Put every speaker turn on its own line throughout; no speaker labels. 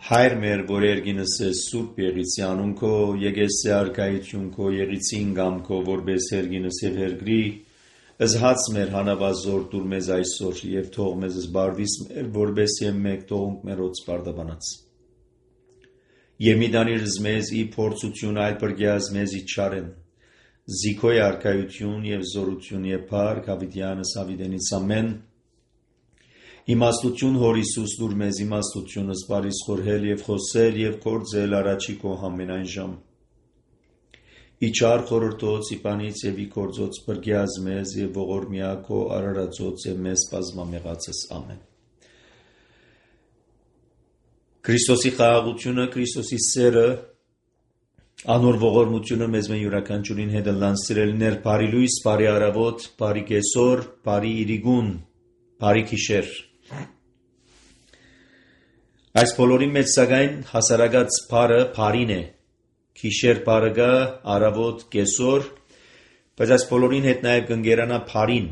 Հայր մեր, որ երգինս ես սուրբ եղիցի անուն քո, եկեսի արկայություն քո, եղիցին գամ քո, որպես երգինս և հերգրի, ըզհաց մեր հանավազոր դուր մեզ այսօր, և թող մեզ զբարվիս մեր, որպես և մեկ թողունք մեր ոց պարդաբանած։ Եվ մի դանիրս մեզ ի փորձություն այլ պրգյազ մեզ ի չարեն, զիքոյ արկայություն և զորություն և պարկ հավիտյանս հավիտենից ամեն, իմաստություն հոր Իսուս դուր մեզ իմաստությունս բարիս խորհել և խոսել և կործել առաջի քո ամենայն ժամ։ Իչար խորհրդոց իպանից և ի կործոց պրգյազ մեզ և ողորմյա քո արարածոց և մեզ պազմամեղացս ամեն։ Քրիստոսի խաղաղությունը, Քրիստոսի սերը, անոր ողորմությունը մեզ մեն յուրաքանչյուրին հետ լան սիրելիներ, բարի լույս, բարի առավոտ, բարի կեսօր, բարի իրիգուն, բարի գիշեր։ Այս բոլորի մեջ սակայն հասարակած բարը բարին է, գիշեր բարը գա, առավոտ կեսօր, բայց այս բոլորին հետ նաև կընկերանա բարին,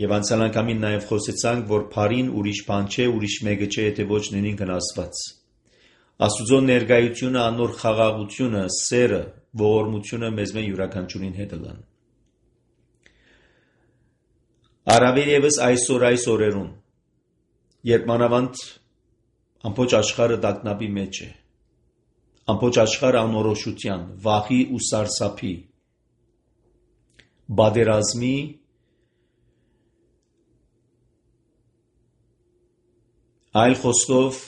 եւ անցյալ անգամին նաև խոսեցանք, որ բարին ուրիշ բան չէ, ուրիշ մեկը չէ, եթե ոչ նույնքն Աստված։ Աստուծո ներկայությունը, անոր խաղաղությունը, սերը, ողորմությունը մեզ մեն յուրաքանչյուրին հետ լան։ Առավել ևս այսօր այս օրերուն, երբ մանավանդ ամբողջ աշխարհը տագնապի մեջ է, ամբողջ աշխարհը անորոշության, վախի ու սարսափի, պատերազմի, այլ խոսքով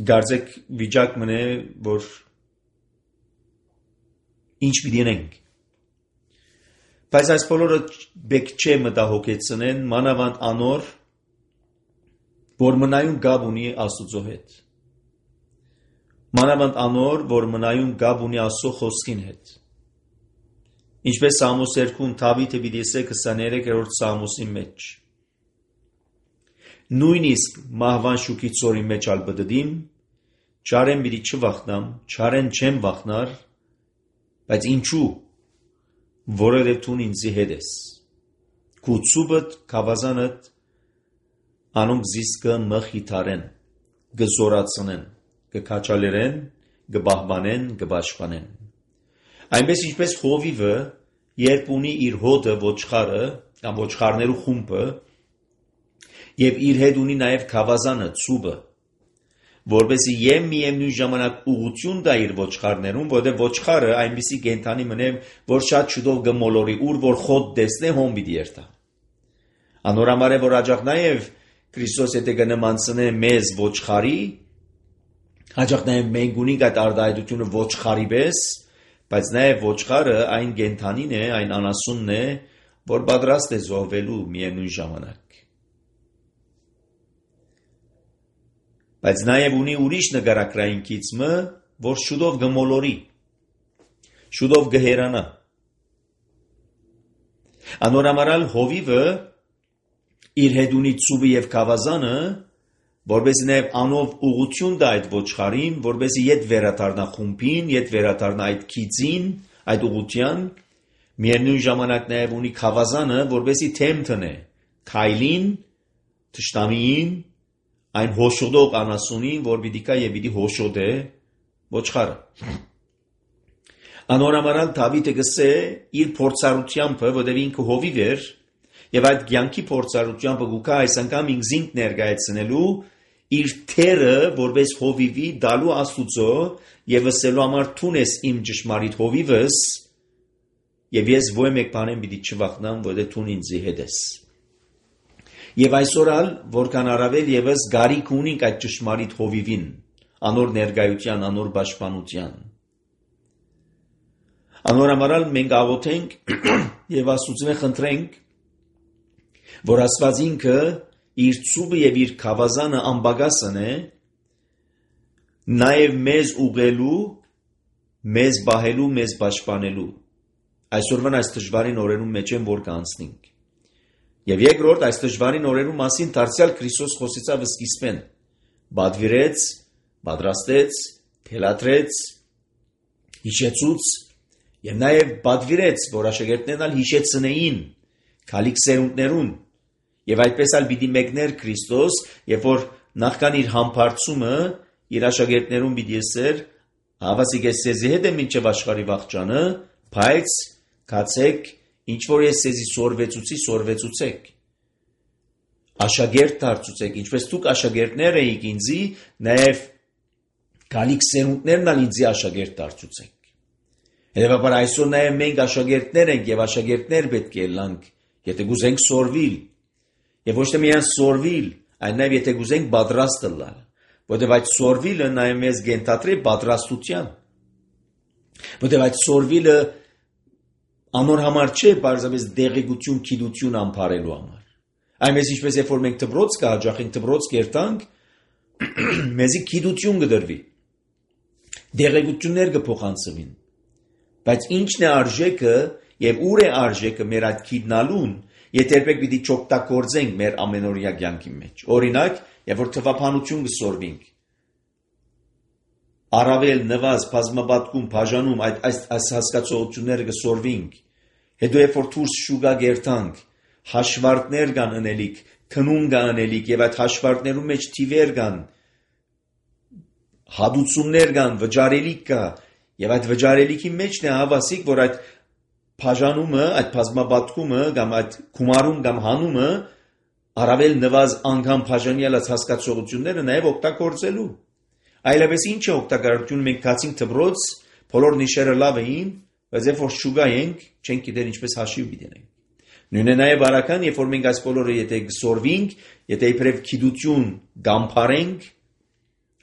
գարձեք վիճակ մնե, որ ինչ պիտի անենք։ Բայց այս բոլորը բեք չէ մտահոգեցնեն, մանավանդ անոր, որ մնայուն գաբ ունի Աստուծո հետ։ Մանավանդ անոր, որ մնայուն գաբ ունի Աստծո խոսքին հետ։ Ինչպես Սամոս 2-ում Դավիթը պիտի ասե 23-րդ Սամոսի մեջ։ Նույնիսկ մահվան շուքի ծորի մեջ ալ բդդիմ, չարեն պիտի չվախնամ, չարեն չեմ վախնար, բայց ինչու, որովհետև դու ինձի հետ ես։ Քու ցուբդ, քավազանդ, անոնք զիս կմխիթարեն, կզորացնեն, կքաչալերեն, կբահբանեն, կպաշտպանեն։ Այնպես ինչպես հովիվը, երբ ունի իր հոտը ոչխարը, կամ ոչխարներու խումբը, եւ իր հետ ունի նաև քավազանը, ցուբը, որպեսզի միևնույն ժամանակ ուղղություն տա իր ոչխարներուն, որտեղ ոչխարը այնպիսի կենդանի մնե, որ շատ շուտով կմոլորի, ուր որ խոտ տեսնե հոմ պիտի երթա։ Անորամար է, որ աջակ նաև Քրիստոս եթե կնմանցնե մեզ ոչխարի, աջակ նաև մենք ունենք այդ արտահայտությունը ոչխարի պես, բայց նաև ոչխարը այն կենդանին է, այն անասունն է, որ պատրաստ է զոհվելու միևնույն ժամանակ։ Բայց նաև ունի ուրիշ նկարագրային գիծը, որ շուտով կմոլորի, շուտով կհերանա։ Անորամարալ հովիվը իր հետ ունի ցուբը եւ քավազանը, որպեսզի նաև անով ուղղություն տա այդ ոչխարին, որպեսզի ետ վերադառնա խումբին, ետ վերադառնա այդ գիծին, այդ ուղղության, միևնույն ժամանակ նաև ունի քավազանը, որպեսզի թեմ տնե քայլին, թշնամիին, այն հոշոտող անասունին, որ պիտի կա եւ պիտի հոշոտե ոչխարը։ Անորամարալ Դավիթը գսե իր փորձառությամբ, որտեղ ինքը հովիվ էր, եւ այդ կյանքի փորձառությամբ գուկա այս անգամ ինքզինք ներկայացնելու իր թերը, որպես հովիվի դալու Աստուծո եւ ասելու համար թուն ես իմ ճշմարիտ հովիվս, եւ ես ոչ մեկ բանեմ պիտի չվախնամ, որտեղ թուն ինձի հետ ես։ Եվ այսօր ալ, որքան առավել եւս գարիք ունենք այդ ճշմարիտ հովիվին, անոր ներկայության, անոր պաշտպանության։ Անորամարալ մենք աղոթենք եւ Աստուծո խնդրենք, որ Աստված ինքը իր ցուբը եւ իր քավազանը անբագասն է, նաեւ մեզ ուղղելու, մեզ բահելու, մեզ պաշտպանելու։ Այսօրվան այս դժվարին օրերուն մեջ են որ կանցնենք։ Եվ երկրորդ այս դժվարին օրերու մասին դարձյալ Քրիստոս խոսեցավ սկիզբեն, բադվիրեց, պատրաստեց, թելադրեց, հիշեցուց եւ նաեւ բադվիրեց, որ աշակերտներն ալ հիշեցնեին քալիք սերունդներուն եւ այդպես ալ պիտի մեկներ Քրիստոս, երբ որ նախքան իր համբարձումը իր աշակերտներուն պիտի ասեր հավասիկ ես սեզի հետ եմ մինչև աշխարհի վախճանը, բայց կացեք ինչ որ ես սեզի սորվեցուցեք աշակերտ դարձուցեք ինչպես դուք աշակերտներ էիք ինձի նաև գալիք սերունդներն ալ ինձի աշակերտ դարձուցեք Հետևաբար այսօր նաև մենք աշակերտներ ենք եւ աշակերտներ պետք է լանք եթե գուզենք սորվիլ եւ ոչ թե միայն սորվիլ այլ նաև եթե գուզենք պատրաստ լալ որտեղ այդ սորվիլը նաև մեզ գենթատրի պատրաստության որտեղ այդ սորվիլը անոր համար չէ բարձրապես դեղեցություն քիդություն ամփարելու համար այնպես ինչպես երբ որ մենք դբրոց կհաջախենք դբրոց կերտանք մեզի քիդություն կդրվի դեղեցություններ կփոխանցվին բայց ինչն է արժեքը եւ ուր է արժեքը մեր այդ քիդնալուն եթե երբեք պիտի չօգտագործենք մեր ամենօրյա կյանքի մեջ օրինակ երբ որ թվափանություն կսորվենք առավել նվազ բազմապատկում բաժանում այս հասկացողությունները կսորվենք հետո երբ որ դուրս շուկա գերտանք հաշվարկներ կան անելիք քնուն կան անելիք եւ այդ հաշվարկներում մեջ թիվեր կան հադուցումներ կան վճարելիք կա եւ այդ վճարելիքի մեջն է հավասիկ որ այդ բաժանումը այդ բազմապատկումը կամ այդ գումարում կամ հանումը առավել նվազ անգամ բաժանյալած հասկացողությունները նաև օգտագործելու այլևս ինչ է օգտագործություն մենք կացինք դբրոց բոլոր նիշերը լավ էին բայց երբ որ շուգա ենք չենք գիտեր ինչպես հաշիվ դինենք նույնն է նաև արական երբ որ մենք այս բոլորը եթե գսորվենք եթե իբրև քիդություն գամփարենք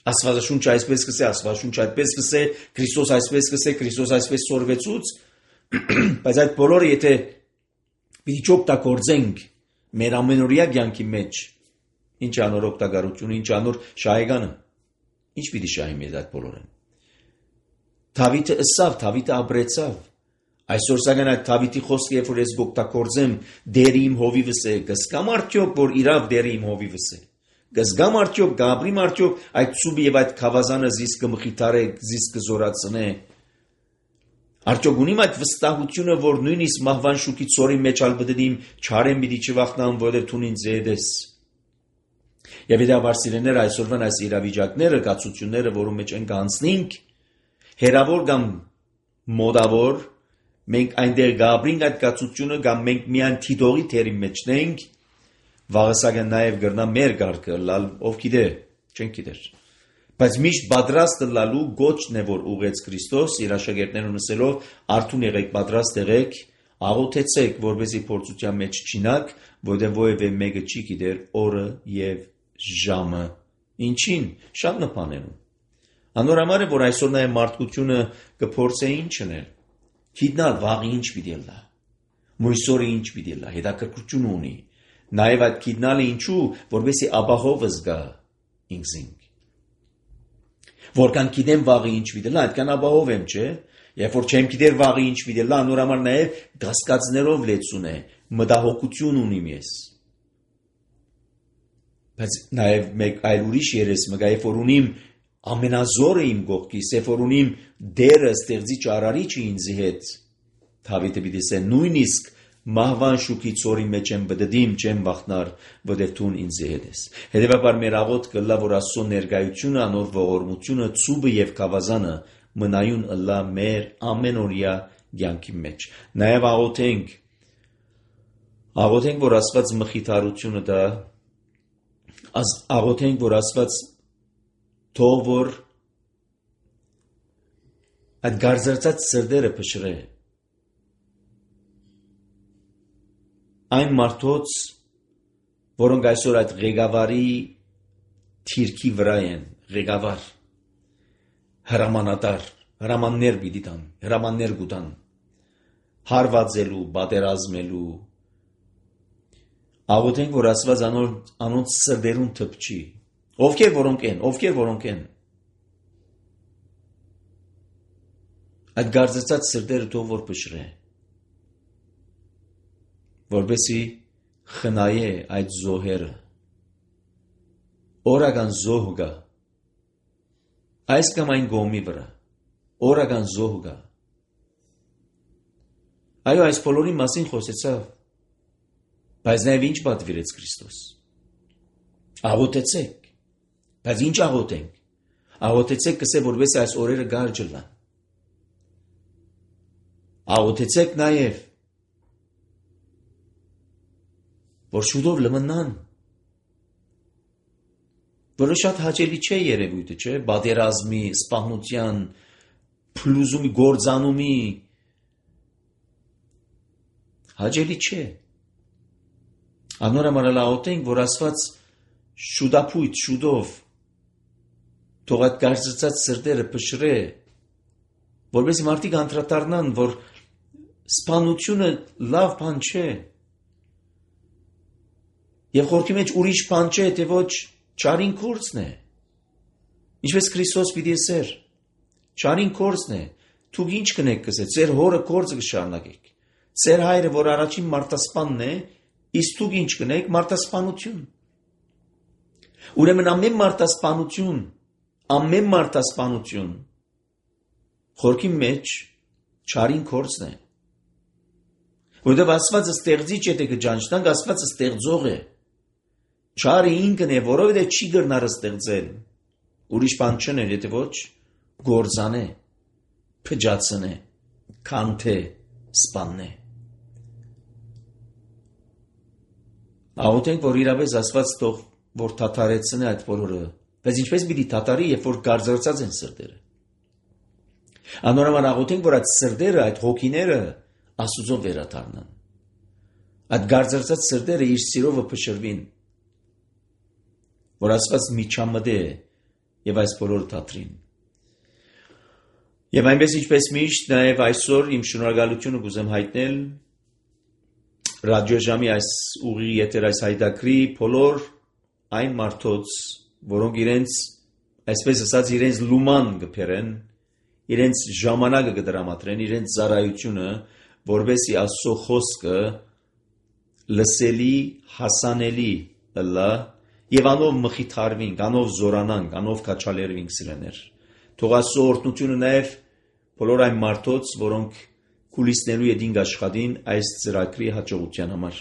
Աստվածաշունչը այսպես կսե Աստվածաշունչը այդպես կսե Քրիստոս այսպես կսե Քրիստոս այսպես սորվեցուց բայց այդ բոլորը եթե պիտի չօգտագործենք մեր ամենօրյա կյանքի մեջ ինչ անոր օգտագործություն ինչ անոր շահեկանը ինչ պիտի շահի մեզ այդ բոլորը Դավիթը ըսավ Դավիթը ապրեցավ այսօր սակայն այդ Դավիթի խոսքը երբ որ ես օգտագործեմ դերի իմ հովիվս է կսկամ արդյոք որ իրավ դերի իմ հովիվս է Գզգամ արդյոք գաբրիմ արդյոք այդ ծուբի եւ այդ խավազանը զիս կմխիթարե զիս կզորացնե Արդյոք ունիմ այդ վստահությունը որ նույնիսկ մահվան շուկի ծորի մեջ ալբդդիմ չարեմ պիտի չվախնամ որովհետեւ թուն ինձ եդես Եվ իդավար սիրեներ այսօրվան այս իրավիճակները կացությունները որում մեջ ենք անցնենք հերավոր կամ մոդավոր մենք այնտեղ գաբրինք այդ կացությունը կամ մենք միան թիդողի թերի մեջնենք Վաղասակը նաև գրնա մեր գարկը լալ ով գիտե չեն գիտեր բայց միշտ պատրաստ լալու գոչն է որ ուղեց Քրիստոս իր աշակերտներուն ասելով արթուն եղեք պատրաստ եղեք աղոթեցեք որպեսզի փորձության մեջ չինակ որտեղ ովևէ մեկը չի գիտեր օրը եւ ժամը ինչին շատ նպաներուն անոր համար է որ այսօր նաև մարդկությունը կփորձե ինչ անել գիտնալ վաղ ինչ պիտի լա մույսորը ինչ պիտի լա հետաքրքրություն ունի Նաև այդ գիտնալը ինչու, որպեսզի ապահովը զգա ինքզինք։ Որքան գիտեմ վաղը ինչ պիտի լա, այդքան ապահով եմ, չէ՞։ Երբ որ չեմ գիտեր վաղը ինչ պիտի լա, նոր համար նաև կասկածներով լեցուն է, մտահոգություն ունիմ ես։ Բայց նաև մեկ այլ ուրիշ երես մգա, երբ որ ունիմ ամենազորը իմ կողքիս, երբ որ ունիմ դերը ստեղծիչ արարիչը ինձ հետ, Դավիթը պիտի ասե նույնիսկ Մահվան շուկի ծորի մեջ եմ բդդիմ չեմ վախնար, որտեղ դու ինձ հետ ես։ Հետևաբար մեր աղոթքը լա որ Աստծո ներկայությունը, անոր ողորմությունը, ծուբը եւ խավազանը մնայուն ըլլա մեր ամենօրյա կյանքի մեջ։ Նաեւ աղոթենք որ Աստված մխիթարությունը դա աղոթենք որ Աստված թող որ այդ գարձրծած սրտերը փշրե Այն մարդոց, որոնք այսօր այդ ղեկավարի թիրքի վրա են, ղեկավար, հրամաններ պիտի տան, հրամաններ գուտան, հարվածելու, պատերազմելու, աղոթենք, որ Աստված անոնց սրտերուն թփչի, ովքեր որոնք են, այդ գարձրծած սրտերը թող որ փշրե որպեսի խնայե այդ զոհերը օրական զոհ գա այս կամ այն գոմի վրա օրական զոհ գա այո այս բոլորի մասին խոսեցավ բայց նաև ինչ պատվիրեց Քրիստոս աղոթեցեք Բայց ինչ աղոթենք։ Աղոթեցեք կսե որպես այս օրերը գարջ լան։ Աղոթեցեք նաև որ շուտով լմնան։ Որը շատ հաճելի չէ երևույթը, չէ, բادرազմի, սպանության, փլուզումի, գործանումի հաճելի չէ։ Անորամարալ աղոթենք, որ Աստված շուտապույտ, շուտով թող այդ կարծրծած սրտերը փշրե, որպես մարդիկ անդրադառնան, որ սպանությունը լավ բան չէ։ Եվ խորքի մեջ ուրիշ բան չէ, թե ոչ չարին կորցն է։ Ինչպես Քրիստոս պիտի ասեր, չարին կորցն է, դուք ինչ կնեք կսե, ձեր հորը կորցը կշարունակեք։ Ձեր հայրը, որ առաջին մարտասպանն է, իսկ դուք ինչ կնեք, մարտասպանություն։ Ուրեմն ամեն մարտասպանություն խորքի մեջ չարին կորցն է։ Որտեղ Աստվածը ստեղծիչ է, թե կջանչնանք, Աստվածը ստեղծող է։ Չարը ինքն է, որովհետև չի գրնար ստեղծել։ Ուրիշ բան չներ, եթե ոչ գործանե, փճացնե, քանթե, սպաննե։ Աղոթենք, որ իրապես Աստված թող որ թաթարեցնե այդ բոլորը, բայց ինչպես պիտի թաթարի, երբ որ գարձրծած են սրտերը։ Անորոշ աղոթենք, որ այդ սրտերը, այդ հոգիները Աստծո վերադառնան։ Այդ գարձրծած սրտերը իր սիրովը փշրվին, որ Աստված միջամտե եւ այս բոլորը թատրին։ Եվ այնպես ինչպես միշտ, նաև այսօր իմ շնորհակալությունը կուզեմ հայտնել ռադիոժամի այս ուղի եթեր այս հայտակրի բոլոր այն մարդոց, որոնք իրենց, այսպես ասած, իրենց լուման կփերեն, իրենց ժամանակը կդրամատրեն, իրենց ծառայությունը, որովհետեւ Աստծո խոսքը լսելի, հասանելի լա եւ անով մխիթարվինք, անով զորանանք, անով կաչալերվինք սրաներ։ Թող Աստծո օրհնությունը նաև բոլոր այն մարդոց, որոնք կուլիսներու յետին աշխատին այս ծրագրի հաջողության համար։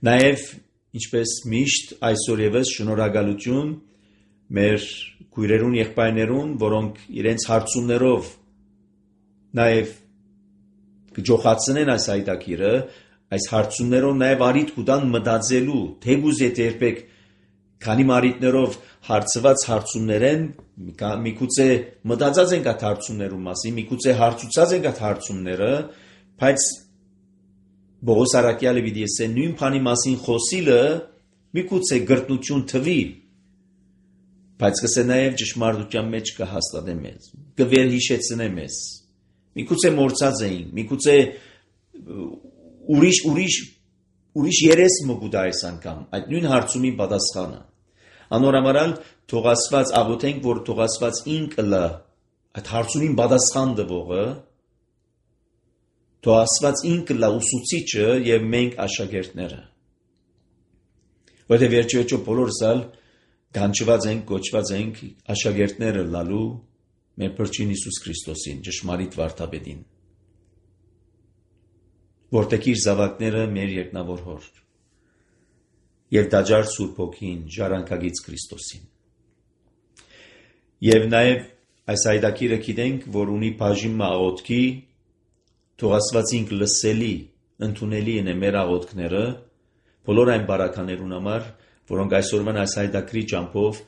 Նաև ինչպես միշտ այսօր եւս շնորհակալություն մեր քույրերուն եղբայրներուն, որոնք իրենց հարցումներով նաև կջոխացնեն այս հայտակիրը, այս հարցումներով նաև արիթ կուտան մտածելու, թեգուզ է երբեք քանի մարիտներով հարցված հարցումներեն, միգուցե մտածած ենք այդ հարցումներու մասին, միգուցե հարցուցած ենք այդ հարցումները, բայց Բողոս Արաքյալը պիտի ասե նույն բանի մասին խոսիլը միգուցե գրտնություն թվի, բայց կսե նաև ճշմարտության մեջ կհաստատե մեզ, կվերհիշեցնե մեզ։ Միգուցե մորցած էինք, միգուցե ուրիշ երես մգուտ այս անգամ, այդ նույն հարցումի պատասխանը։ Անորամարալ թող Աստված աղոթենք, որ թող Աստված ինքը լա այդ հարցումին պատասխան տվողը, թող Աստված ինքը լա ուսուցիչը եւ մենք աշակերտները։ Որտեղ վերջիվերջո բոլորս գանչված ենք, կոչված ենք աշակերտները լալու մեր Փրկին Հիսուս Քրիստոսին, ճշմարիտ վարդապետին, որտեղ իր զավակները մեր երկնավոր հոր եւ դաջար Սուրբ Հոգին, ժառանգագից Քրիստոսին։ Եվ նաեւ այս հայտակիրը գիտենք, որ ունի բաժին աղոթքի, թող Աստված ինքը լսելի, ընդունելի է մեր աղոթքները, բոլոր այն բարականերուն համար, որոնք այսօրվան այս հայտակրի ճամփով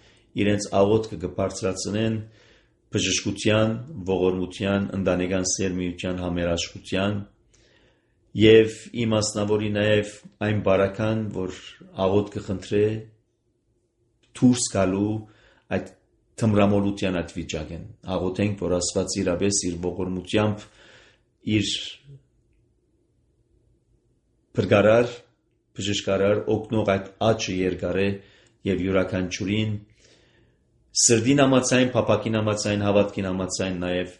իրենց աղոթքը կբարձրացնեն բժշկության, ողորմության, ընտանեկան սերմիության համերաշխության եւ իմաստնավորի նաեւ այն բարական, որ աղոթքը խնդրե դուրս գալու այդ թմրամոլության այդ վիճակեն։ Աղոթենք, որ Աստված իրապես իր ողորմությամբ իր բրգարար, բժշկարար օգնող այդ աճը երկարե եւ յուրաքանչյուրին սրդին համացայն, փափակին համացայն, հավատքին համացայն նաեւ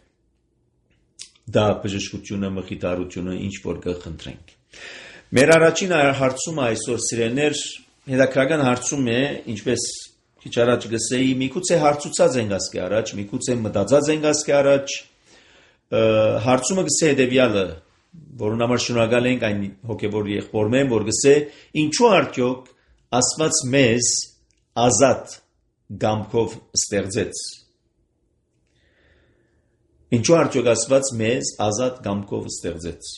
դա բժշկությունը, մխիթարությունը ինչ որ կխնդրենք։ Մեր առաջին հարցումը այսօր սիրելիներ հետաքրական հարցում է, ինչպես քիչ առաջ գսեի, միգուցե հարցուցած ենք ասկի առաջ, միգուցե մտածած ենք ասկի առաջ, հարցումը գսե հետեւյալը, որոնց համար շնորհակալ ենք այն հոգեվոր եղբորմեն, որ գսե ինչու արդյոք Աստված մեզ ազատ գամքով ստեղծեց։ Ինչու արդյոք Աստված մեզ ազատ գամքով ստեղծեց։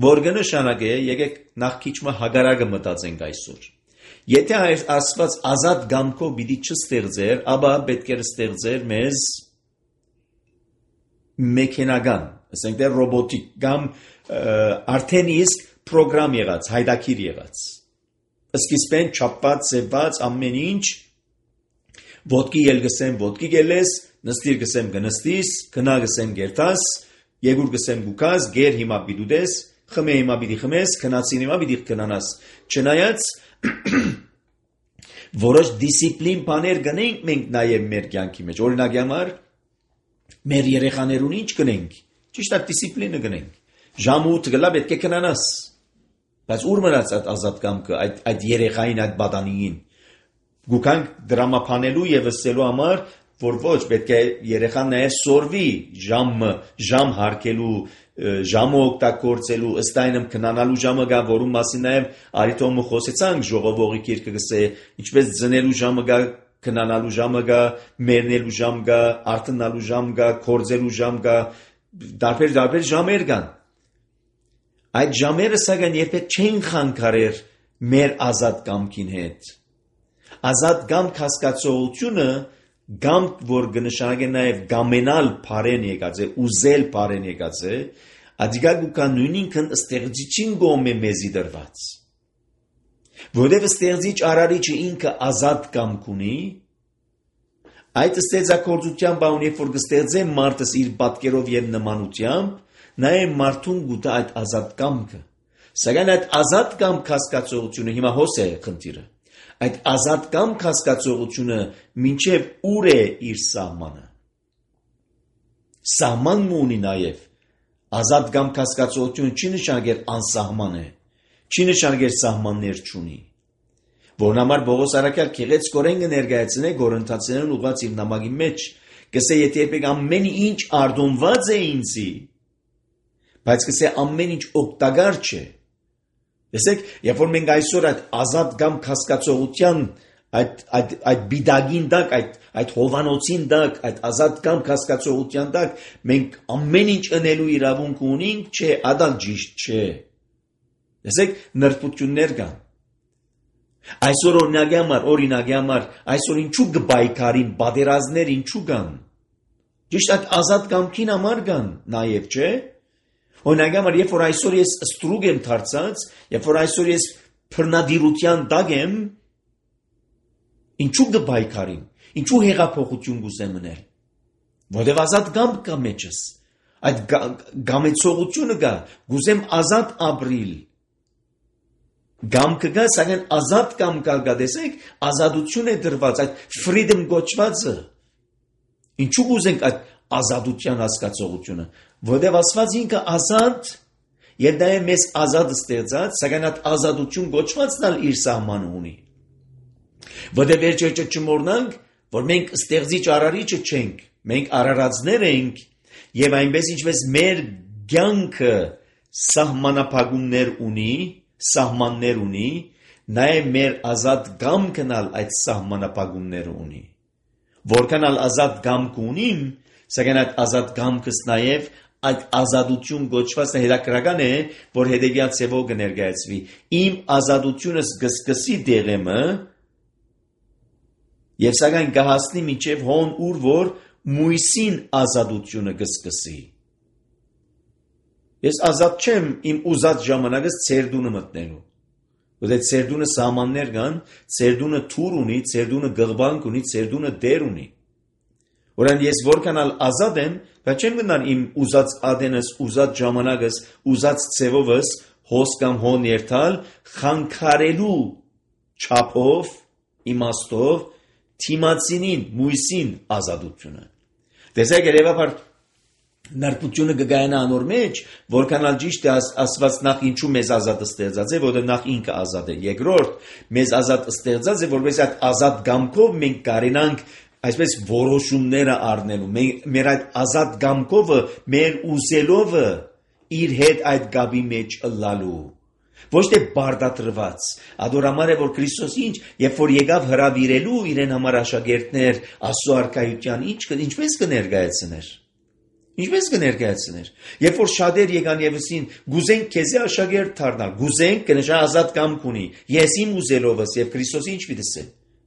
Որ կնշանակե, եկեք նախ քիչ հագարակը մտածենք այսօր։ Եթե Աստված ազատ գամքով պիտի չստեղծեր, ապա պետք է ստեղծեր մեզ մեքենական, ասենք դե ռոբոտիկ կամ արդեն իսկ պրոգրամ եղած, հայդակիր եղած։ Սկիզբեն չափված, ձևված ամեն ինչ, ոտքի ել գսեմ, ոտքի գելես, նստիր գսեմ գնստիս, քնա գսեմ գերտաս, եգուր գսեմ գուկաս, գեր հիմա պիտի դես, խմե հիմա պիտի խմես, քնացին հիմա պիտի քնանաս։ Չնայած որոշ դիսցիպլին բաներ գնենք մենք նաև մեր կյանքի մեջ։ Օրինակ համար մեր երեխաներուն ինչ գնենք։ Ճիշտ է դիսցիպլինը գնենք։ Ժամը 8 գլա պետք է քնանաս։ Բայց ուր մնաց այդ ազատ կամքը, այդ երեխային, այդ բադանիին։ Գուքանք դրամապանելու եւ ասելու համար, որ ոչ պետք է երեխան նաև սորվի ժամ հարկելու, ժամը օգտագործելու, ըստ այնմ քնանալու ժամը գա, որում մասին նաև արիտոմը խոսեցանք, ժողովողի գիրքը գսե, ինչպես ծնելու ժամը գա, քնանալու ժամը գա, մեռնելու ժամ գա, արթնալու ժամ գա, կորձելու ժամ գա, դարբեր ժամեր կան։ Այդ ժամերը սակայն երբեք չեն խանգարեր մեր ազատ կամքին հետ։ Ազատ կամք հասկացողությունը կամք, որ կնշանակե նաև գամենալ բարեն եկած է, ուզել բարեն եկած է, ադիգա գուկա նույնինքն ստեղծիչին գոմ է մեզի դրված։ Որտև ստեղծիչ արարիչը ինքը ազատ կամք ունի, այդ ստեղծագործության բանն երբ որ կստեղծե մարդս իր պատկերով եւ նմանությամբ, նաև մարդուն գուտա այդ ազատ կամքը։ Սակայն այդ ազատ կամք հասկացողությունը հիմա հոս է խնդիրը։ Այդ ազատ կամք հասկացողությունը մինչև ուր է իր սահմանը։ Սահման ունի նաև ազատ կամք հասկացողությունը չի նշանակեր անսահման է, չի նշանակեր սահմաններ չունի։ Որն համար Պողոս առաքյալ քեղեցկորեն կներկայացնե Կորինթացիներին ուղղված իր նամակի մեջ, կսե եթե երբեք ամեն ինչ արդոնված է ինձի, բայց կսե ամեն ինչ օգտակար չէ։ Տեսեք, երբ որ մենք այսօր այդ ազատ կամք հասկացողության այդ բիդագին տակ, այդ հովանոցին տակ, այդ ազատ կամք հասկացողության տակ մենք ամեն ինչ ընելու իրավունք ունենք, չէ, ադալ ճիշտ չէ։ Տեսեք, նրբություններ կան։ Այսօր օրինակի համար, այսօր ինչու կբայքարին, պատերազմներ ինչու կան։ Ճիշտ այդ ազատ կամքին համար կան, նաև չէ։ Օրինակ համար, երբ որ այսօր ես ստրուկ եմ դարձած, երբ որ այսօր ես բռնադիրության տակ եմ, ինչու կբայքարին, ինչու հեղափոխություն կուզեմ մնել։ Որտև ազատ կամք կա մեջս, այդ գամեցողությունը կա, կուզեմ ազատ ապրիլ։ Կամքը կա, սակայն ազատ կամք կա, տեսեք, ազատություն է դրված, այդ freedom գոչվածը։ Ինչու կուզենք այդ ազատության հասկացողությունը, որտեղ Աստված ինքը ազատ եւ նաեւ մեզ ազատ ստեղծած, սակայն այդ ազատություն գոչվածն ալ իր սահմանը ունի։ Որտեղ վերջերս չմոռնանք, որ մենք ստեղծիչ արարիչը չենք, մենք արարածներ ենք եւ այնպես ինչպես մեր կյանքը սահմաններ ունի, նաեւ մեր ազատ կամքն ալ այդ սահմանապահումները ունի։ Որքան ալ ազատ կամք ունիմ, սակայն այդ ազատ կամքս նաև այդ ազատություն գոչված հետաքրական է, որ հետևյալ ձևով կներկայացվի։ Իմ ազատությունս կսկսի դեղեմը եւ սակայն կհասնի մինչեւ հոն ուր որ մույսին ազատությունը կսկսի։ Ես ազատ չեմ իմ ուզած ժամանակս ցերդունը մտնելու։ Որտեղ ցերդունը սահմաններ կան, ցերդունը թուր ունի, ցերդունը գղբանք ունի, ցերդունը դեր ունի։ Որան ես որքան ազատ եմ, բայց չեմ գնալ իմ ուզած ադենս, ուզած ժամանակս, ուզած ցևովս հոս կամ հոն երթալ, խանգարելու չափով, իմաստով, թիմացինին, մույսին ազատությունը։ Տեսեք երևաբար նրբությունը կգայանա անոր մեջ, որքան ալ ճիշտ է Աստված նախ ինչու մեզ ազատ ստեղծած է, որտեղ նախ ինքը ազատ է։ Երկրորդ, մեզ ազատ ստեղծած է, որպես այդ ազատ կամքով մենք կարենանք այսպես որոշումները առնելու։ Մեր այդ ազատ կամքովը, մեր ուզելովը իր հետ այդ գաբի մեջ ըլլալու։ Ոչ թե բարդատրված, ադորամար է, որ Քրիստոս երբ որ եկավ հրավիրելու իրեն համար աշակերտներ Աստծո արքայության, ինչպես կներկայացներ։ Երբ որ շատեր եկան եւ ասին, գուզենք քեզի աշակերտ դառնալ, գուզենք կնշա ազատ կամք ունի, ես իմ ուզելովս եւ Քրիստոսի ինչ պիտի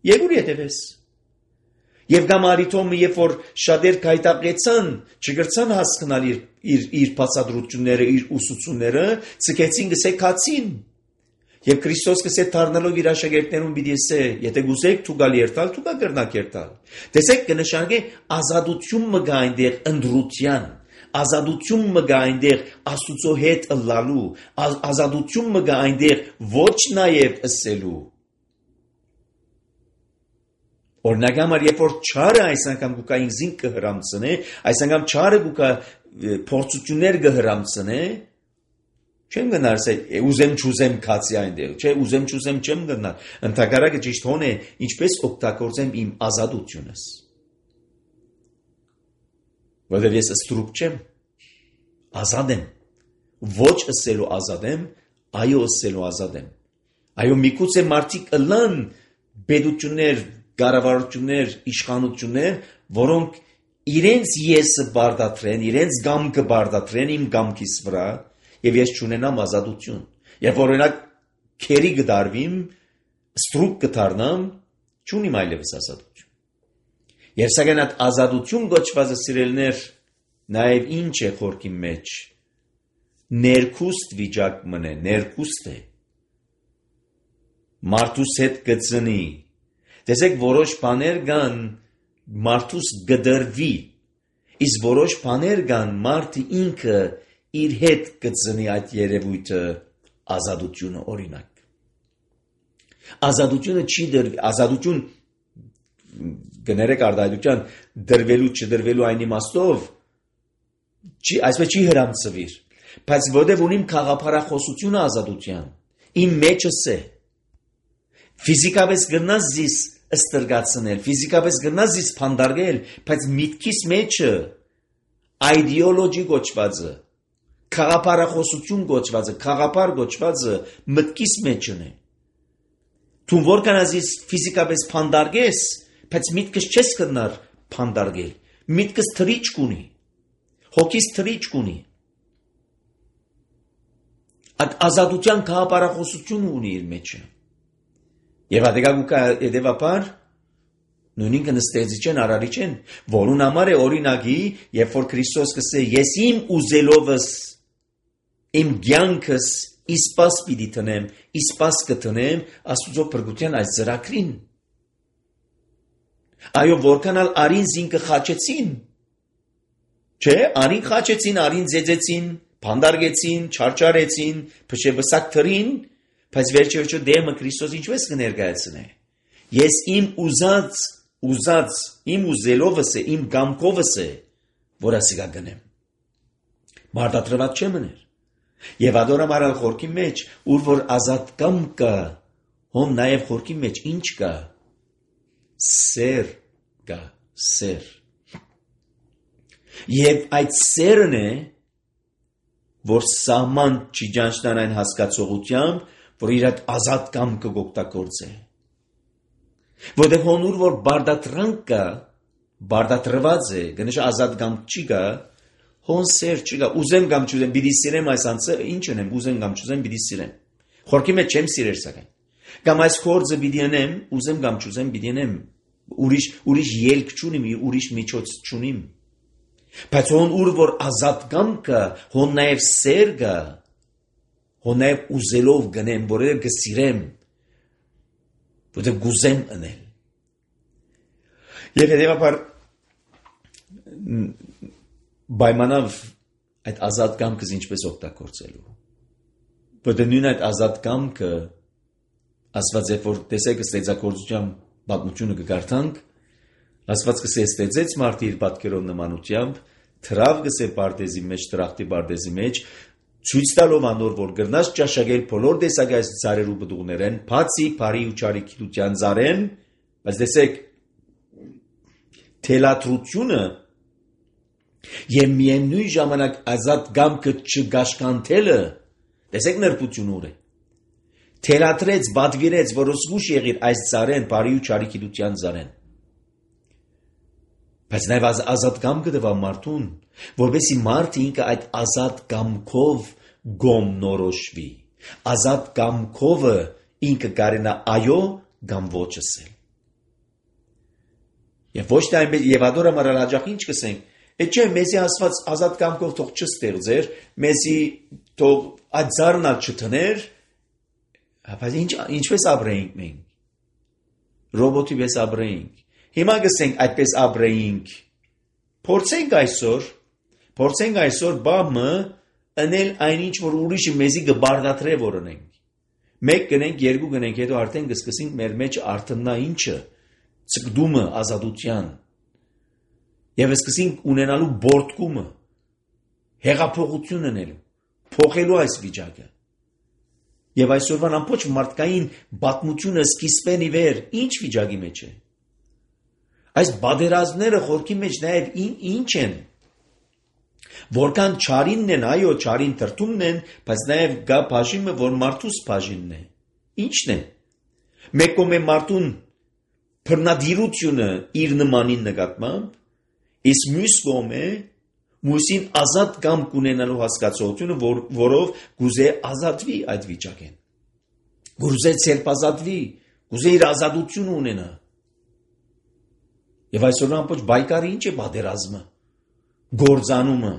եկուր ետևես։ Եվ կամ արիթոմը, երբ որ շատեր կայտակեցան, չգրցան հասկանալ իր բացատրությունները, իր ուսուցումները, ցկեցին գսեկացին։ Եվ Քրիստոս կսե դառնալով իր աշակերտներուն պիտի ասե, եթե գուզեք դու գալ երթալ, դու կա կրնակ երթալ։ Տեսեք կնշանակե ազատություն մը գա այնտեղ ընդրության, ազատություն մը գա այնտեղ Աստուծո հետ ըլլալու, ազատություն մը գա այնտեղ ոչ նաև ըսելու։ Օրինակ համար, երբ որ չարը այս անգամ գուկա ինձին կհրամցնե, այս անգամ չարը գուկա փորձություններ կհրամցնե, չեմ գնար ասել, ուզեմ չուզեմ քացի այնտեղ, չէ, ուզեմ չուզեմ չեմ գնար։ Ընդհակառակը ճիշտ հոն է, ինչպես օգտագործեմ իմ ազատությունս։ Որովհետև ես ստրուկ չեմ, ազատ եմ, ոչ ըսելու ազատ եմ, այո ըսելու ազատ եմ։ Այո, միգուցե մարդիկ ըլլան բեդություններ, կառավարություններ, իշխանություններ, որոնք իրենց եսը բարդատրեն, իրենց գամքը բարդատրեն իմ գամքիս վրա, եւ ես չունենամ ազատություն։ Երբ օրինակ քերի գդարվիմ, ստրուկ կդառնամ, չունիմ այլևս ազատություն։ Եվ սակայն այդ ազատություն գոչվածը սիրելներ, նաեւ ինչ է խորքի մեջ, ներքուստ վիճակ մնե, ներքուստ է։ Մարդուս հետ գծնի։ Տեսեք, որոշ բաներ կան մարդուս գդրվի, իսկ որոշ բաներ կան մարդը ինքը իր հետ գծնի այդ երևույթը ազատությունը օրինակ։ Ազատությունը չի դրվի, ազատություն գներեք արդայության դրվելու չդրվելու այն իմաստով այսպես չի հրամցվիր, բայց որտեղ ունիմ խաղափարախոսությունը ազատության, իմ մեջս է, ֆիզիկապես գրնաս զիս ստրգացնել, ֆիզիկապես գրնաս զիս փանդարգել, բայց միտքիս մեջը այդեոլոգի գոչվածը, խաղափարախոսություն գոչվածը, խաղապար գոչվածը մտքիս մեջն է։ Դու որքան ազիս ֆիզիկապես փանդարգես, բայց միտքս չես կրնար փանդարգել, միտքս թրիճք ունի, հոգիս թրիճք ունի։ Այդ ազատության խաղապարախոսություն ունի իր մեջը։ Եվ ադեգագուկա edevapar նույնին կնստեցի չեն արարի չեն, որուն համար է օրինակի, երբ որ Քրիստոս կսե ես իմ ուզելովս իմ ցանկս իսպաս պիտի տնեմ, իսպաս կտնեմ Աստուծո փրկության այս ծրագրին։ Այո, որքանալ արին զինքը խաչեցին։ Չէ, արին խաչեցին, արին ձեծեցին, փանդարգեցին, չարչարեցին, փշեբսակ թրին, բայց վերջերջո դեմը Քրիստոս ինչպես կներկայացնե։ Ես իմ ուզած, իմ ուզելովս է, իմ գամքովս է, որ ասիկա գնեմ։ Մարդատրված չեմ մներ։ Եվ ադորամ արալ խորքի մեջ, ուր որ ազատ կամ կա, հոն նաև խորքի մեջ ինչ կա։ Սեր կա, սեր։ Եվ այդ սերն է, որ սահման չի ճանչնան այն հասկացողությամբ, որ իր այդ ազատ կամքը գօգտագործե։ Որտեղ հոնուր որ բարդատրանք կա, բարդատրված է, գնշ ազատ կամք չի կա, հոն սեր չի կա, ուզեմ կամ չուզեմ, պիտի սիրեմ այս անձը, ինչ ունեմ, ուզեմ կամ չուզեմ, պիտի սիրեմ։ Խորքի մեջ չեմ սիրեր սակայն։ Կամ այս խորձը պիտի անեմ, ուզեմ կամ չուզեմ, պիտի անեմ, ուրիշ ելք չունիմ, ուրիշ միջոց չունիմ։ Բայց հոն ուր որ ազատ կամքը, հոն նաև սեր կա, հոն նաև ուզելով գնեմ, որը գսիրեմ, որը գուզեմ անել։ Եվ հետևաբար պայմանավ այդ ազատ կամքս ինչպես օգտագործելու։ Որտեղ նույն այդ ազատ կամքը Աստված երբ որ տեսեք ստեղծագործության պատմությունը կգարտանք, Աստված կսե ստեղծեց մարդը իր պատկերով նմանությամբ, թրավ կսե պարտեզի մեջ, տրախտի պարտեզի մեջ, ցույց տալով անոր որ գրնաս ճաշակել բոլոր տեսակայ ծառերու բդուղներեն, բացի բարի ու չարի գիտության ծառեն, բայց տեսեք թելատրությունը եւ միևնույն ժամանակ ազատ գամքը չգաշկանթելը, տեսեք նրբություն ուր է։ թելադրեց, բադվիրեց, որ զգուշ եղիր այս ծարեն, բարի ու չարի գիտության ծարեն։ Բայց նաև ազատ կամքը տվավ մարդուն, որպեսզի մարդը ինքը այդ ազատ կամքով գոմ նորոշվի, ազատ կամքովը ինքը կարենա այո կամ ոչ ասել։ Եվ ոչ թե այնպես, եւ ադոր համար հաջող ինչ կսենք, չէ, մեզի ասված ազատ կամքով թող չստեղծեր, մեզի թող այդ զարնալ չթներ, բայց ինչպես ապրեինք մենք։ Ռոբոտի պես ապրեինք։ Հիմա գսենք այդպես ապրեինք։ Փորձենք այսօր բամը անել այնինչ որ ուրիշը մեզի կբարդատրե որ ունենք։ Մեկ գնենք, երկու գնենք, հետո արդեն կսկսենք մեր մեջ արտնա ինչը, ցկդումը ազատության։ Եվ սկսենք ունենալու բորտկումը, հեղափոխություն անելու, փոխելու այս վիճակը։ Եվ այսօրվան ամբողջ մարդկային պատմությունը սկիզբեն ի վեր ինչ վիճակի մեջ է։ Այս բادرազմները խորքի մեջ նաև ինչ են։ Որքան չարինն են, այո, չարին թրթումն են, բայց նաև գա բաժինը, որ մարդուս բաժինն է։ Ինչն է։ Մեկ կողմը մարդուն բռնադիրությունը իր նմանին նկատմամբ, իսկ մյուս կողմը մուսին ազատ կամ կունենալու հասկացողությունը, որով գուզե ազատվի այդ վիճակեն։ Գուզե ցերպազատվի, գուզե իր ազատությունը ունենա։ Եվ այսօր ամբողջ բայկարը ինչ է բادرազմը, գործանումը։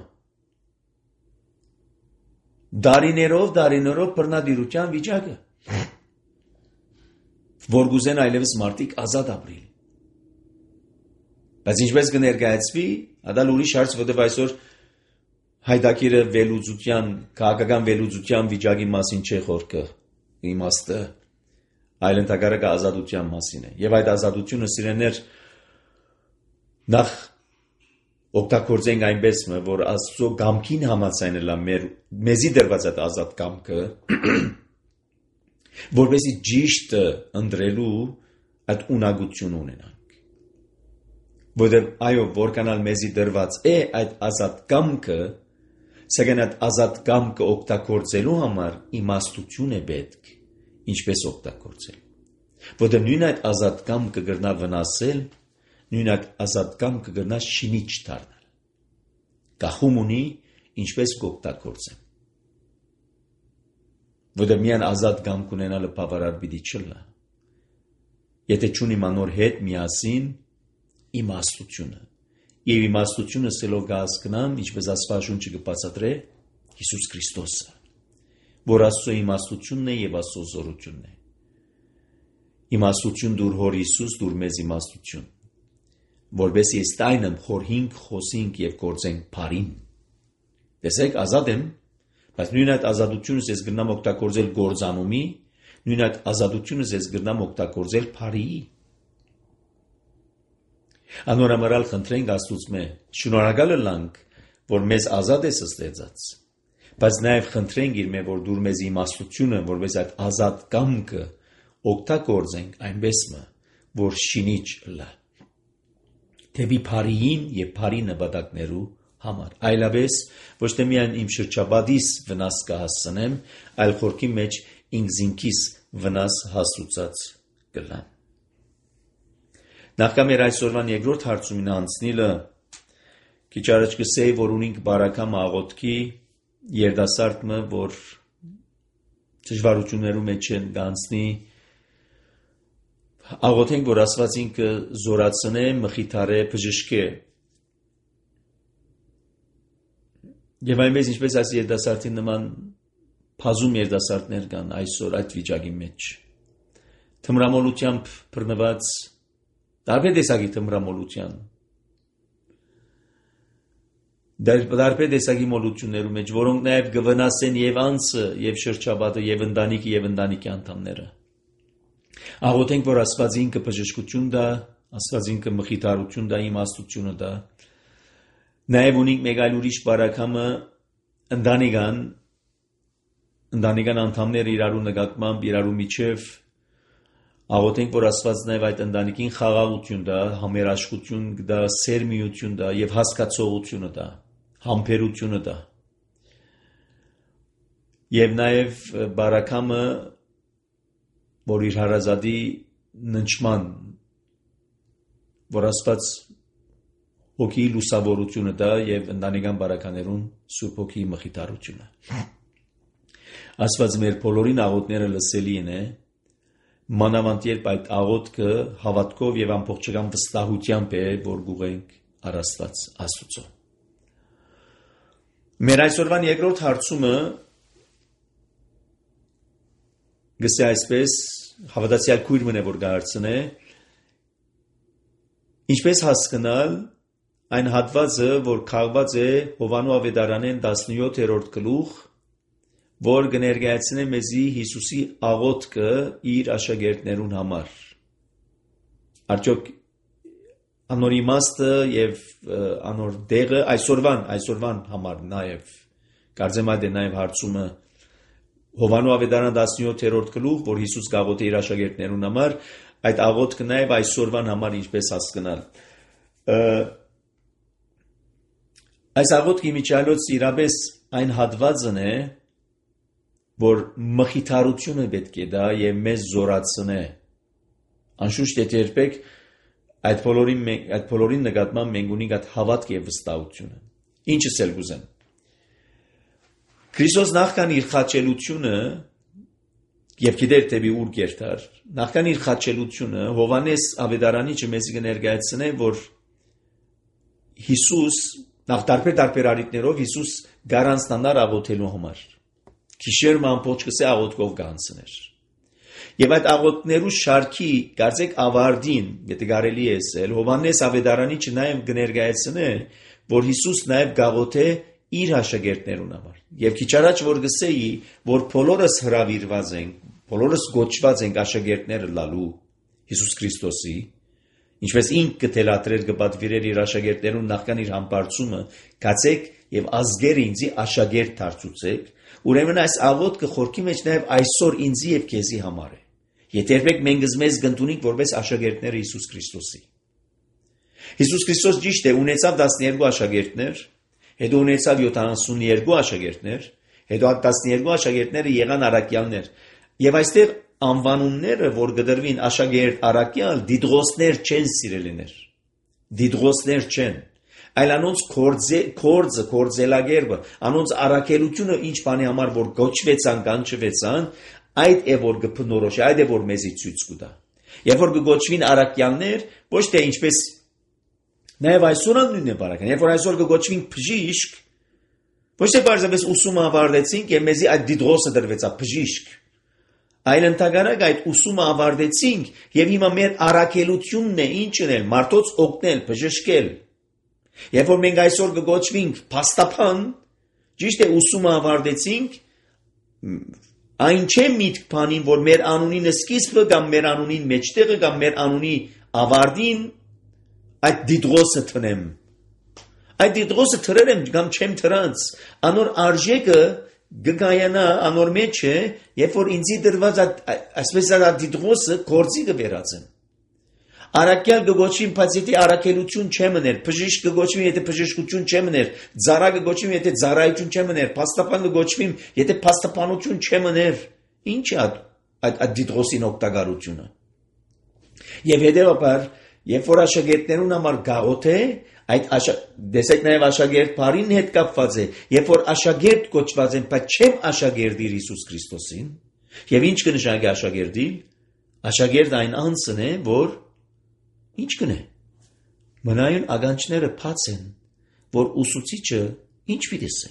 Դարիներով բռնադիրության վիճակը, որ գուզեն այլևս մարդիկ ազատ ապրիլ։ Բայց ինչպես կներկայացվի, ադալ ուրիշ հարց, որտեղ այսօր հայդակիրը վերլուծության, քաղաքական վերլուծության վիճակի մասին չէ խոսքը, իմաստը, այլ ընդհակառակը ազատության մասին է։ Եվ այդ ազատությունը սիրեներ նախ օգտագործենք այնպես, որ Աստծո կամքին համաձայնելա մեզի դրված այդ ազատ կամքը, որպեսզի ճիշտը ընտրելու այդ ունակություն ունենանք։ Որտեղ այո, որքանալ մեզի դրված է այդ ազատ կամքը, սակայն այդ ազատ կամքը օգտագործելու համար իմաստություն է պետք, ինչպես օգտագործել։ Որտեղ նույն այդ ազատ կամքը կգրնա վնասել, նույն այդ ազատ կամքը կգրնա շինիչ դառնալ։ Գախում ունի ինչպես կօգտագործեմ։ Որտեղ միան ազատ կամք ունենալը բավարար պիտի չլա։ Եթե չունի մանոր հետ միասին իմաստությունը։ Եվ իմաստությունը սելով կհասկնամ, ինչպես Աստվածաշունչը կբացատրե Հիսուս Քրիստոսը, որ Աստծո իմաստությունն է եւ Աստծո զորությունն է։ Իմաստություն դուր հոր Հիսուս, դուր մեզ իմաստություն, որովհետեւ ես տայնեմ խորհինք, խոսինք եւ գործենք բարին։ Տեսեք, ազատ եմ, բայց նույն այդ ազատությունս ես գտնամ օգտագործել գործանումի, նույն այդ ազատությունս ես գտնամ օգտագործել բարի։ Անորամարալ խնդրենք Աստծուց մե, շնորհակալ ենք, որ մեզ ազատ ես ստեղծած, բայց նաև խնդրենք իր մե, որ դուր մեզ իմաստությունը, որպես այդ ազատ կամքը օգտագործենք այնպես մը, որ շինիչ լա։ Թեպի բարիին եւ բարի նպատակներու համար, այլապես ոչ թե միայն իմ շրջապատիս վնաս կհասցնեմ, այլ խորքի մեջ ինքզինքիս վնաս հասուցած կլամ։ Նախքան մեր այսօրվան երկրորդ հարցումին անցնելը, քիչ առաջ կսեի, որ ունենք բարակամ աղոթքի երդասարտը, որ դժվարություններու մեջ են գանցնի, աղոթենք, որ Աստված ինքը զորացնե, մխիթարե, բժշկե։ Եվ այնպես ինչպես այս երդասարտի նման բազում երդասարտներ կան այսօր այդ վիճակի մեջ։ Թմրամոլությամբ բռնված տարբեր տեսակի թմրամոլության, տարբեր տեսակի մոլություններու մեջ, որոնք նաև կվնասեն եւ անձը, եւ շրջապատը, եւ ընտանիքը, եւ ընտանիքի անդամները։ Աղոթենք, որ Աստված ինքը բժշկություն տա, Աստված ինքը մխիթարություն տա, իմաստությունը տա։ Նաև ունենք մեկ այլ ուրիշ բարակամը ընտանեկան անդամները իրարու նկատմամբ, իրարու միջև աղոթենք, որ Աստված նաև այդ ընտանիքին խաղաղություն տա, համերաշխություն տա, սերմիություն տա եւ հասկացողությունը տա, համբերությունը տա։ Եվ նաև բարակամը որ իր հարազատի ննչման, որ Աստված հոգի լուսավորությունը դա եւ ընտանեկան բարականերուն Սուրբ Հոգի մխիթարությունը։ Աստված մեր բոլորին աղոթները լսելի է, մանավանդ երբ այդ աղոթքը հավատքով եւ ամբողջական վստահությամբ է, որ գուղենք առ Աստված Աստծո։ Մեր այսօրվան երկրորդ հարցումը գսե այսպես հավատացյալ քույր մնե որ գարցնե ինչպես հասկանալ այն հատվածը որ քաղված է Հովանու ավետարանեն 17-րդ գլուխ որ կներկայացնե մեզի Հիսուսի աղոթքը իր աշակերտներուն համար արդյոք անոր իմաստը եւ անոր դեղը այսօրվան համար նաեւ կարծեմ այդ է նաեւ հարցումը Հովանու ավետարան 17-րդ գլուխ, որ Հիսուս գաղոթե իր աշակերտներուն համար, այդ աղոթքը նաև այսօրվան համար ինչպես հասկանալ։ Այս աղոթքի միջալոց իրապես այն հատվածն է, որ մխիթարությունը պետք է դա եւ մեզ զորացնե։ Անշուշտ եթե երբեք այդ բոլորին նկատմամբ մենք ունենք այդ հավատք եւ վստահությունը։ Ինչս էլ գուզեմ։ Քրիստոս նախքան իր խաչելությունը եւ գիտեր թե ուր գերտար նախքան իր խաչելությունը Հովանես ավետարանիչը մեզ կներկայացնե որ Հիսուս նախ տարբեր արիտներով Հիսուս գարանցնար աղոթելու համար քիշերում ամբողջ կսե աղոթքով կանցներ եւ այդ աղոթքներու շարքի կարծեք ավարտին եթե կարելի է ասել Հովանես ավետարանիչը նաեւ կներկայացնե որ Հիսուս նաեւ գաղոթե իր աշակերտներուն համար եւ քիչ առաջ որ գսեի որ բոլորս հրավիրված ենք բոլորս գոչված ենք աշակերտները լալու Հիսուս Քրիստոսի ինչպես ինքը թելադրեր կպատվիրեր իր աշակերտներուն նախքան իր համբարձումը գացեք եւ ազգերը ինձի աշակերտ դարձուցեք ուրեմն այս աղոթքը խորքի մեջ նաեւ այսօր ինձի եւ քեզի համար է եթե երբեք մենք մեզ գտնունենք որպես աշակերտները Հիսուս Քրիստոսի Հիսուս Քրիստոս ճիշտ է ունեցավ 12 աշակերտներ հետո ունեցավ 72 աշակերտներ, հետո 12 աշակերտները եղան առաքյալներ։ Եվ այստեղ անվանումները, որ գդրվին աշակերտ առաքյալ, դիդրոսներ չեն սիրելիներ։ Դիդրոսներ չեն։ Այլ անոնց կորձելագերբը, անոնց առաքելությունը ինչ բանի համար որ գոչվեցան, կանչվեցան, այդ է որ կփնորոշի, այդ է որ մեզի ցույց կտա։ Երբ որ կգոչվին առաքյալներ, ոչ թե ինչպես Նաև այսօր նույնն է բարական, երբ որ այսօր կգոչվենք բժիշկ, ոչ թե բարձրապես ուսումը ավարտեցինք եւ մեզի այդ դիդրոսը դրվեցա բժիշկ, այլ ընդհանրակ այդ ուսումը ավարտեցինք եւ հիմա մեր առաքելությունն է ինչն է մարդոց օգնել, բժշկել։ Երբ որ մենք այսօր կգոչվենք փաստաբան, ճիշտ է ուսումը ավարտեցինք, այն չէ միտք բանին, որ մեր անունին սկիզբը կամ մեր անունին մեջտեղը կամ մեր անունի ավարտին այդ դիդրոսը տնեմ։ Այդ դիդրոսը թրել եմ կամ չեմ թրած, անոր արժեքը գգայանա անոր մեջ է, երբ որ ինձի դրված այսպես այդ դիդրոսը գործի կվերածեմ։ Առաքյալ կգոչվին, բայց եթե առաքելություն չեմներ, բժիշկ կգոչվին, եթե բժշկություն չեմներ, ծառա կգոչվին, եթե ծառայություն չեմներ, փաստաբան կգոչվին, եթե փաստաբանություն չեմներ, ինչ է այդ դիդրոսին օգտակարությունը։ Եվ հետևաբար Երբ որ աշակերտներուն համար գաղոթե, այդ դեսեք նաև աշակերտ բարին հետ կապված է, երբ որ աշակերտ կոչված են, բայց չեմ աշակերտիր Հիսուս Քրիստոսին, եւ ինչ կնշանակի աշակերտի, աշակերտ այն անձն է, որ ինչ կնե։ Մնայուն ագանչները բաց են, որ ուսուցիչը ինչ պիտի ասե։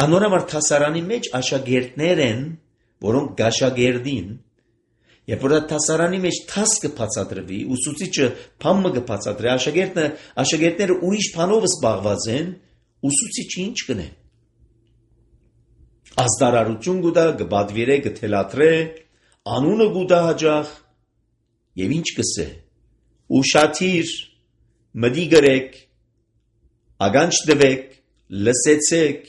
Անոր համար թասարանի մեջ աշակերտներ են, որոնք գաշակերտին Երբ որ դասարանի մեջ թասկը բացատրվի, ուսուցիչը բամը կբացատրի, աշակերտները ուրիշ բանով զբաղված են, ուսուցիչը ինչ կնե։ Ազդարարություն կուտա, կբադվիրե, կթելադրե, անունը կուտա հաջող, եւ ինչ կսե։ Ուշադիր, մտի գրեք, ագանչ դվեք, լսեցեք,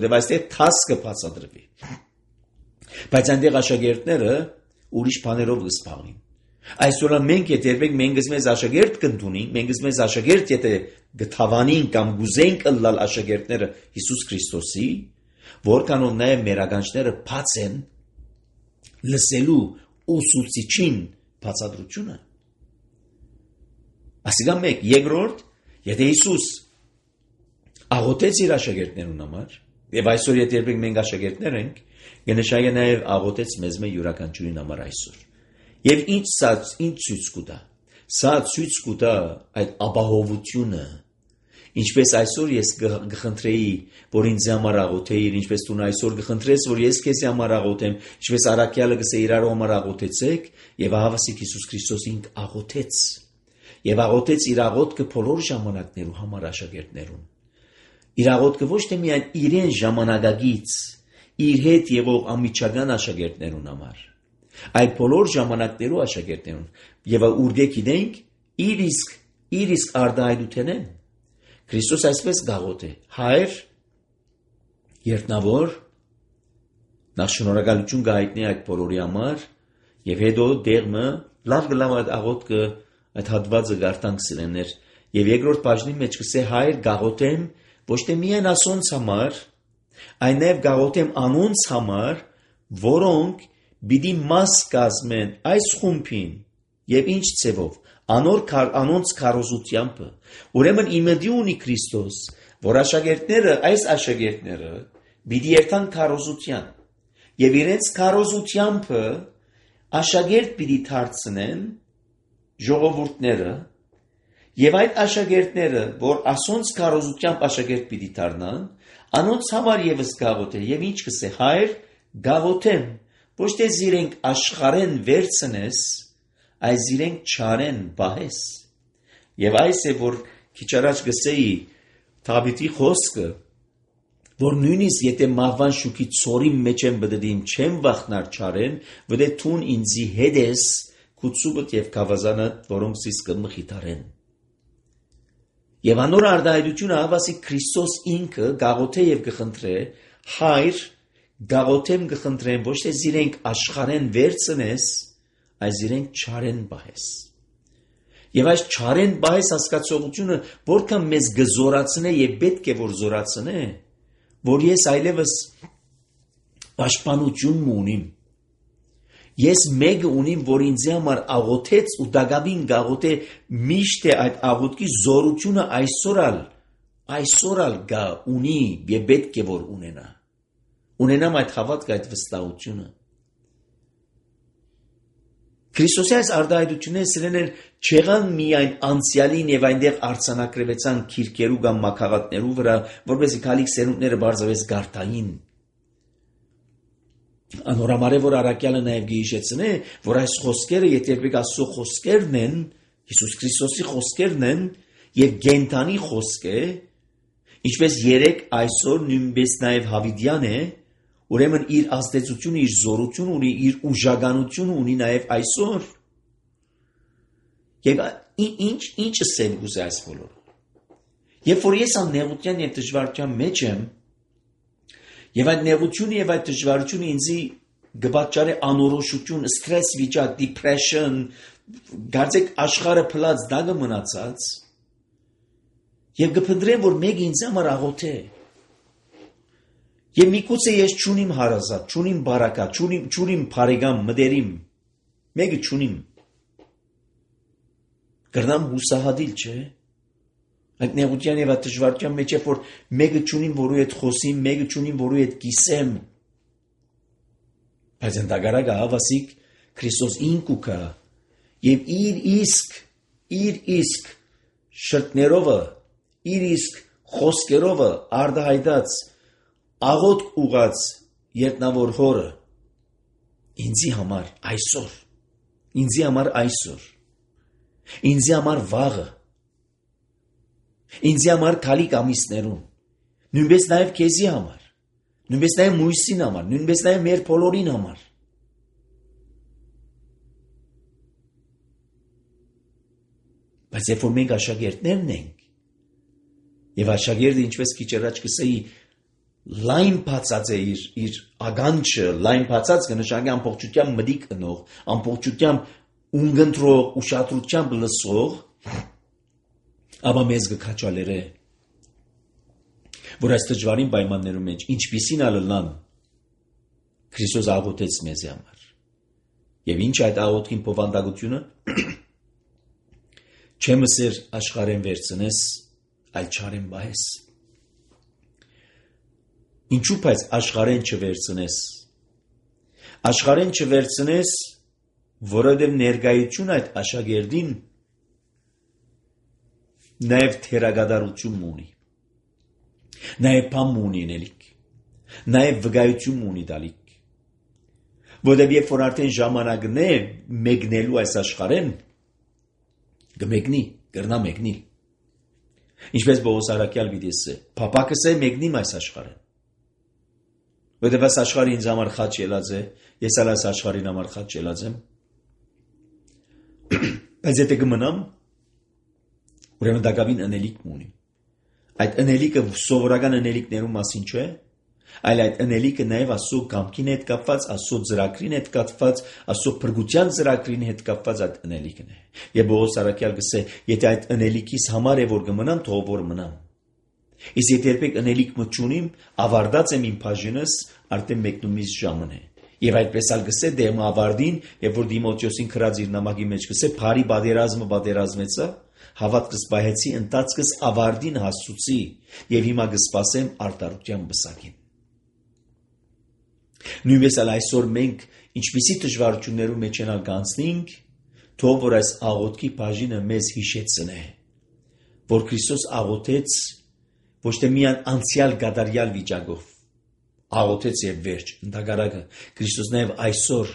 որտեղ այստեղ թասկը բացատրվի։ Բայց այնտեղ աշակերտները ուրիշ բաներով կսպաղին։ Այսօր մենք եթե երբեք մենք մեզ աշակերտ կընդունենք, մենք մեզ աշակերտ եթե գթավանին կամ գուզենք ըլլալ աշակերտները Հիսուս Քրիստոսի, որքանով նաև մեր ագանչները բաց են, լսելու ուսուցիչին բացատրությունը։ Ասիկա մեկ, երկրորդ, եթե Հիսուս աղոթեց իր աշակերտներուն համար, եւ այսօր եթե երբեք մենք աշակերտներ ենք, կնշանակի նաեւ աղոթեց մեզ յուրաքանչյուրին համար այսօր։ Եվ ինչ ցույց կտա։ Սա ցույց կտա այդ ապահովությունը, ինչպես այսօր ես կխնդրեի, որ ինձ համար աղոթեիր, ինչպես դու այսօր կխնդրես, որ ես քեզ համար աղոթեմ, ինչպես առաքյալը կսե իրար համար աղոթեցեք, եւ ահավասիկ Հիսուս Քրիստոսին աղոթեց։ Եվ աղոթեց իր աղոթքը բոլոր ժամանակներու համար աշակերտներուն։ Իր աղոթքը ոչ թե միայն իրեն ժամանակագից, իր հետ եղող ամիջական աշակերտներուն համար, այլ բոլոր ժամանակներու աշակերտներուն, եւ ուր գիտենք իր իսկ արդահայտութենեն։ Քրիստոս այսպես գաղոթ է. Հայր, երտնավոր, նախ շնորհակալություն գայտնի այդ բոլորի համար, եւ հետո դերմը լավ այդ աղոթքը այդ հատվածը գարտանք սիրեներ, եւ երկրորդ բաժնի մեջ կսե հայր գաղոթեմ ոչ թե միայն ասոնց համար, այլ նաեւ գաղոթեմ անոնց համար, որոնք պիտի մաս կազմեն այս խումբին եւ ինչ ցևով անոնց քարոզությամբ։ Ուրեմն իմեդի ունի Քրիստոս, որ այս աշակերտները պիտի երթան քարոզության եւ իրենց քարոզությամբ աշակերտ պիտի դարձնեն ժողովուրդները եւ այդ աշակերտները, որ ասոնց քարոզությամբ աշակերտ պիտի դառնան, անոնց համար եւս գաղոթե եւ ինչ կսե հայր գաղոթեմ, ոչ թե զիրենք աշխարեն վերցնես, այս իրենք չարեն բահես։ Եվ այս է, որ քիչ առաջ գսեի Դավիթի խոսքը, որ նույնիսկ եթե մահվան շուքի ծորի մեջ եմ բդդին, չեմ վախնար չարեն, վդե թուն ինձի հետ ես, քուցուբդ եւ կավազանը, որոնք սիս կմխիթարեն։ Եվ անոր արդահայտությունը հավասի Քրիստոս ինքը գաղոթե եւ կխնդրե, հայր գաղոթեմ կխնդրեմ, ոչ թե զիրենք աշխարեն վերցնես, այս իրենք չարեն բահես։ Եվ այս չարեն բահես հասկացողությունը որքան մեզ գզորացնե եւ պետք է որ զորացնե, որ ես այլևս պաշտպանություն ունիմ։ Ես մեկը ունիմ, որ ինձ համար աղոթեց ու դակավին գաղոթե միշտ է այդ աղոթքի զորությունը այսօր գա ունի եւ պետք է որ ունենա։ Ունենամ այդ հավատքը, այդ վստահությունը։ Քրիստոսի այս արդահայտությունները սրեներ չեղան միայն անցյալին եւ այնտեղ արցանակրվեցան քիրքերու կամ մակաղատներու վրա, որպեսզի քալիք սերունդները բարձրապես գարտային։ Անորամարե որ առաքյալը նաեւ գիհիշեցնե, որ այս խոսքերը եթե Աստծո խոսքերն են, Հիսուս Քրիստոսի խոսքերն են եւ գենթանի խոսք է, ինչպես երեք այսօր նույնպես նաեւ Հավիդյան է, ուրեմն իր ազդեցությունը, իր զորությունը ունի, իր ուժականությունը ունի նաև այսօր։ Եվ ինչը սեմ գուզե այս բոլորը։ Երբ որ ես աննեղության եւ դժվարության մեջ եմ, եւ այդ նեղությունը եւ այդ դժվարությունը ինձի գբաճարե անորոշություն, սթրես վիճակ, depression, գարձեք աշխարհը փլած դագը մնացած, եւ գփնդրեմ, որ մեկ ինձ համար աղոթե։ Եվ միգուցե ես չունիմ հարազատ, չունիմ բարակա, չունիմ բարեկամ, մտերիմ, մեկը չունիմ։ Կրնամ հուսահատիլ, չէ՞։ Այդ նեղության եւ այդ դժվարության մեջ է, որ մեկը չունիմ, որու հետ խոսիմ, մեկը չունիմ, որու հետ կիսեմ։ Բայց ընդհանրակը հավասիկ Քրիստոս ինքու կա եւ իր իսկ շրտներով, իր իսկ խոսքերով արդահայտած աղոթք ուղած երտնավոր հորը ինձի համար այսօր, ինձի համար վաղը, ինձի համար քալիք ամիսներուն, նույնպես նաև քեզի համար, նույնպես նաև Մույսին համար, նույնպես նաև մեր բոլորին համար։ Բայց երբ որ մենք աշակերտներն ենք, եւ աշակերտը ինչպես քիչ առաջ կսեի լայն բացած է իր ագանչը, լայն բացած կնշանակի ամբողջությամբ մտիկ ընող, ամբողջությամբ ունգընտրող, ուշադրությամբ լսող, ապա մեզ կքաչալերե, որ այս դժվարին պայմաններում մեջ ինչպիսին ալլան Քրիստոս աղոթեց մեզ համար, Եվ ինչ այդ աղոթքին փոխանդակությունը։ Չէ մսեր աշխարհեն վերցնես, այլ չարեն բահես։ Ինչու՞ բայց աշխարհեն չվերցնես։ Աշխարհեն չվերցնես, որովհետև ներկայություն այդ աշակերտին նաև թերագադարություն ունի։ Նաև բամ ունի նելիք։ Նաև վկայություն ունի դալիք։ Որովհետև երբ որ արդեն ժամանակն է մեկնելու այս աշխարհեն, կմեկնի, կրնա մեկնի։ Ինչպես Պողոս Արաքյալ գիտեսը, փապակս է մեկնիմ այս աշխարհեն։ Որովհետև այս աշխարհը ինձ համար խաչ ելած է, ես ալ այս աշխարհին համար խաչ ելած եմ։ Բայց եթե կմնամ, ուրեմն դակավին ընելիք ունի։ Այդ ընելիքը սովորական ընելիքներու մասին չէ, այլ այդ ընելիքը նաև Աստծո կամքին հետ կապված, Աստծո ծրագրին հետ կապված, Աստծո փրկության ծրագրին հետ կապված այդ ընելիքն է։ Եվ Պողոս Արաքյալ գսե, եթե այդ ընելիքիս համար է որ կմնամ, թող որ մնամ։ Իսկ եթե երբեք ընելիք մտչունիմ, ավարտած եմ իմ բաժինս, արդեն մեկնումից ժամն է։ Եվ այդպես ալ գսե դեմ ավարտին, երբ որ Դիմոթեոսին քրած իր նամակի մեջ գսե, «Փարի բادرազմը բادرազմեցա, հավատքս պահեցի, ընթացքս ավարտին հասցուցի, եւ հիմա կսպասեմ արտարության բսակին»։ Նույնպես ալ այսօր մենք ինչպիսի դժվարություններու մեջ ենք անցնենք, թող որ այս աղոթքի բաժինը մեզ հիշեցնե, որ Քրիստոս աղոթեց ոչ թե միայն անցյալ գադարյալ վիճակով, աղոթեց եւ վերջ, ընդհակառակը Քրիստոս նաեւ այսօր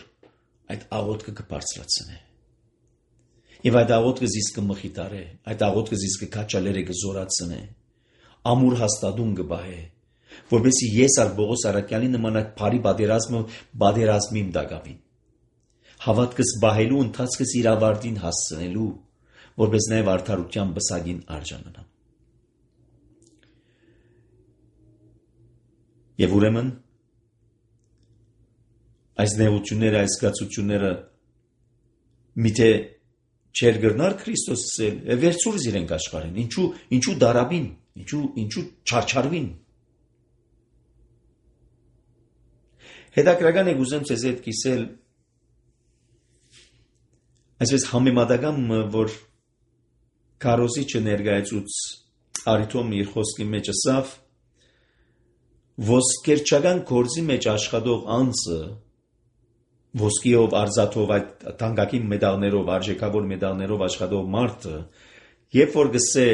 այդ աղոթքը կբարձրացնե։ Եվ այդ աղոթքը զիս կմխիտարե, այդ աղոթքը զիս կքաչալերը կզորացնե, ամուր հաստատում կբահե, որպեսզի ես ալ Պողոս Արաքյալի նման այդ բարի բادرազմիմ դակավին։ Հավատքս բահելու ընթացքս իր ավարտին հասցնելու, որպես նաև արդարության բսակին արժանանամ։ Եվ ուրեմն այս նեղությունները, այս զգացությունները միթե չեր գրնար Քրիստոսը վերցուրս իրենք աշխարհին, ինչու դարաբին, ինչու չարչարվին։ Հետաքրական է ուզեմ ցեզ հետ կիսել այսպես համեմատական, որ Քարոզիչը ներկայացուց Արիթոմ իր խոսքի մեջ ասավ, ոսկերչական գործի մեջ աշխատող անձը, ոսկիով, արծաթով, այդ թանկագին մեդալներով, արժեքավոր մեդալներով աշխատող մարդը, երբ որ գսե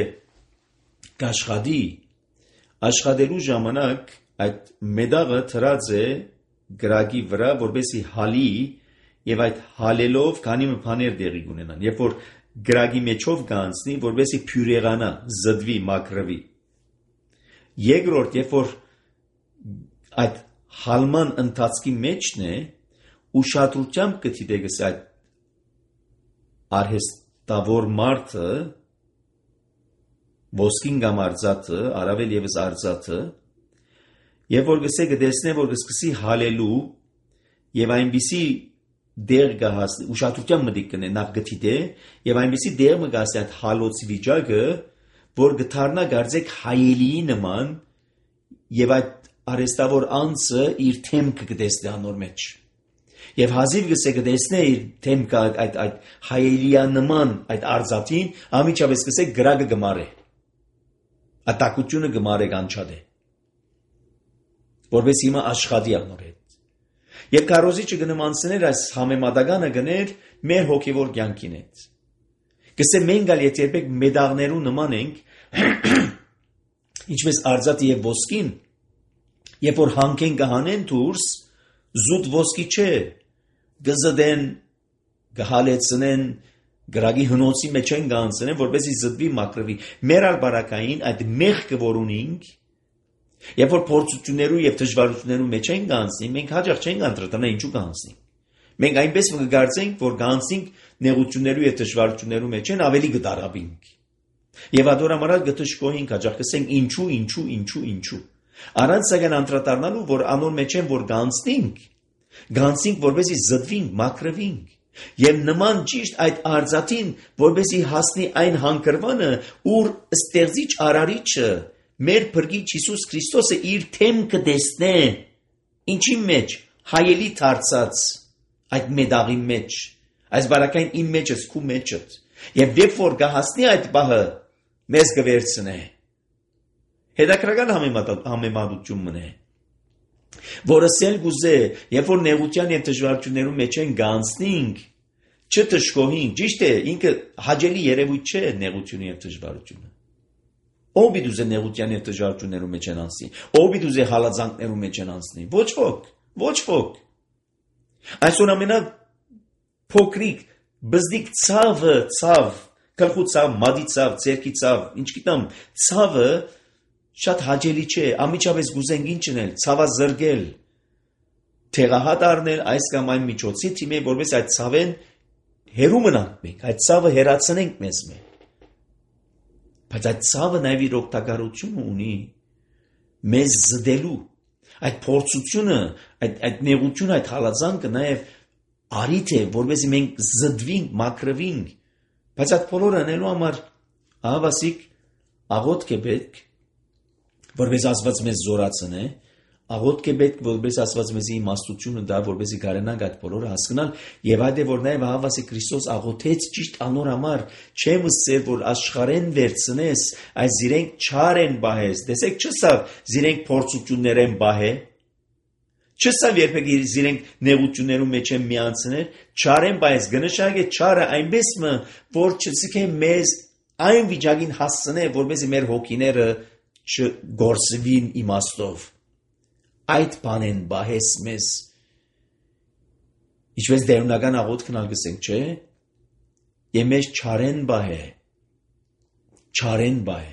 կաշխատի, աշխատելու ժամանակ այդ մեդալը թրած է գրագի վրա, որպեսզի հալի եւ այդ հալելով քանի բաներ դեղի կունենան։ Երբ որ գրագի մեջով կանցնի, որպեսզի փյուրեղանա, զդվի, մաքրվի։ Երկրորդ, երբ որ այդ հալման ընթացքի մեջն է, ուշադրությամբ կդիտեք այդ արհեստավոր մարդը, ոսկին կամ արծաթը, առավել եւս արծաթը, եւ որ գսե կտեսնե, որ կսկսի հալելու եւ այնպիսի դեր գահասի, ուշադրությամբ մտիկ կնե նախ գտիդե եւ այնպիսի դեր մը գասի այդ հալոցի վիճակը, որ գթարնա գարձեք հայելիի նման եւ այդ արհեստավոր անձը իր թեմքը կտեսնի անոր մեջ։ Եվ հազիվ գսե կտեսնե իր թեմքը այդ հայելիա նման այդ արծաթին, ամիջապես գսե գրագը գմարե։ Ատակությունը գմարե կանչադե։ Որպես հիմա աշխատի անոր հետ։ Եվ Քարոզիչը գնմանցներ այս համեմատականը գներ մեր հոգևոր կյանքին հետ։ Գսե մենք ալ եթե երբեք մեդաղներու նման ենք, ինչպես արծաթի եւ ոսկին, երբ որ հանքեն կհանեն դուրս, զուտ ոսկի չէ, գզդեն, գհալեցնեն, գրագի հնոցի մեջ են գանցնեն, որպեսզի զդվի մաքրվի։ Մեր ալ բարակային այդ մեղքը որ ունենք, երբ որ փորձություններու եւ դժվարություններու մեջ են գանցնի, մենք հաջող չենք անդրադառնա ինչու գանցնի։ Մենք այնպես կգարձենք, որ գանցնենք նեղություններու եւ դժվարություններու մեջ են ավելի կդարաբինք։ Եվ ադորամարալ գտշկոհինք հաջող կսենք ինչու։ Առանց սակայն անդրադառնալու, որ անոր մեջ են որ գանցնենք, որպեսզի զդվինք, մաքրվինք։ Եվ նման ճիշտ այդ արծաթին, որպեսզի հասնի այն հանգրվանը, ուր ստեղծիչ արարիչը մեր փրկիչ Հիսուս Քրիստոսը իր թեմքը տեսնե, ինչի մեջ հայելի դարձած այդ մետաղի մեջ, այս բարակային իմ մեջս, քու մեջդ, եւ երբ որ կհասնի այդ բահը, մեզ կվերցնե։ Հետաքրական համեմատություն մնե, որը սել գուզե, երբ որ նեղության եւ դժվարություններու մեջ են գանցնինք, չտժկոհինք, ճիշտ է, ինքը հաճելի երևույթ չէ նեղությունը եւ դժվարությունը։ Ով պիտի նեղության եւ դժվարություններու մեջ են անցնի, ով պիտի հալածանքներու մեջ են անցնի, ոչ ոք։ Այսօր ամենա փոքրիկ բզդիկ ցավ, գլխու ցավ, մադի ցավ, ցերքի ցավ, ինչ գիտեմ, ցավը շատ հաճելի չէ, ամիջապես գուզենք ինչ անել, ցավը զրկել, թեղահատ առնել այս կամ այն միջոցի թիմի, որպես այդ ցավեն հերու մնանք մենք, այդ ցավը հերացնենք մեզ մեջ։ Բայց այդ ցավը նաև իր օգտակարությունը ունի մեզ զդելու, այդ փորձությունը, այդ նեղությունը, այդ հալածանքը նաև արիթ է, որովհետեւ մենք զդվինք, մաքրվինք, բայց այդ բոլորը անելու համար ահավասիկ աղոթք է պետք, որպես Աստված մեզ զորացնե, աղոթք է պետք, որպես Աստված մեզի իմաստությունը դա, որպեսզի կարողանանք այդ բոլորը հասկանալ, եւ այդ է որ նաև ահավասիկ Քրիստոս աղոթեց ճիշտ անոր համար, չեմ ասել որ աշխարհեն վերցնես, այս իրենք չար են բահես, տեսեք չսավ, իրենք փորձություններ են բահե, չսավ երբեք իրենք նեղություններում մեջ են միանցնել, չար են բահես, գնշագե չարը այնպես մը, որ չսկե մեզ այն վիճակին հասցնե, որպեսզի մեր հոգիները չգործվին իմաստով։ Այդ բանեն բահես մեզ, ինչպես դերունական աղոթքն ալգսենք, չէ, եւ մեզ չարեն բահե,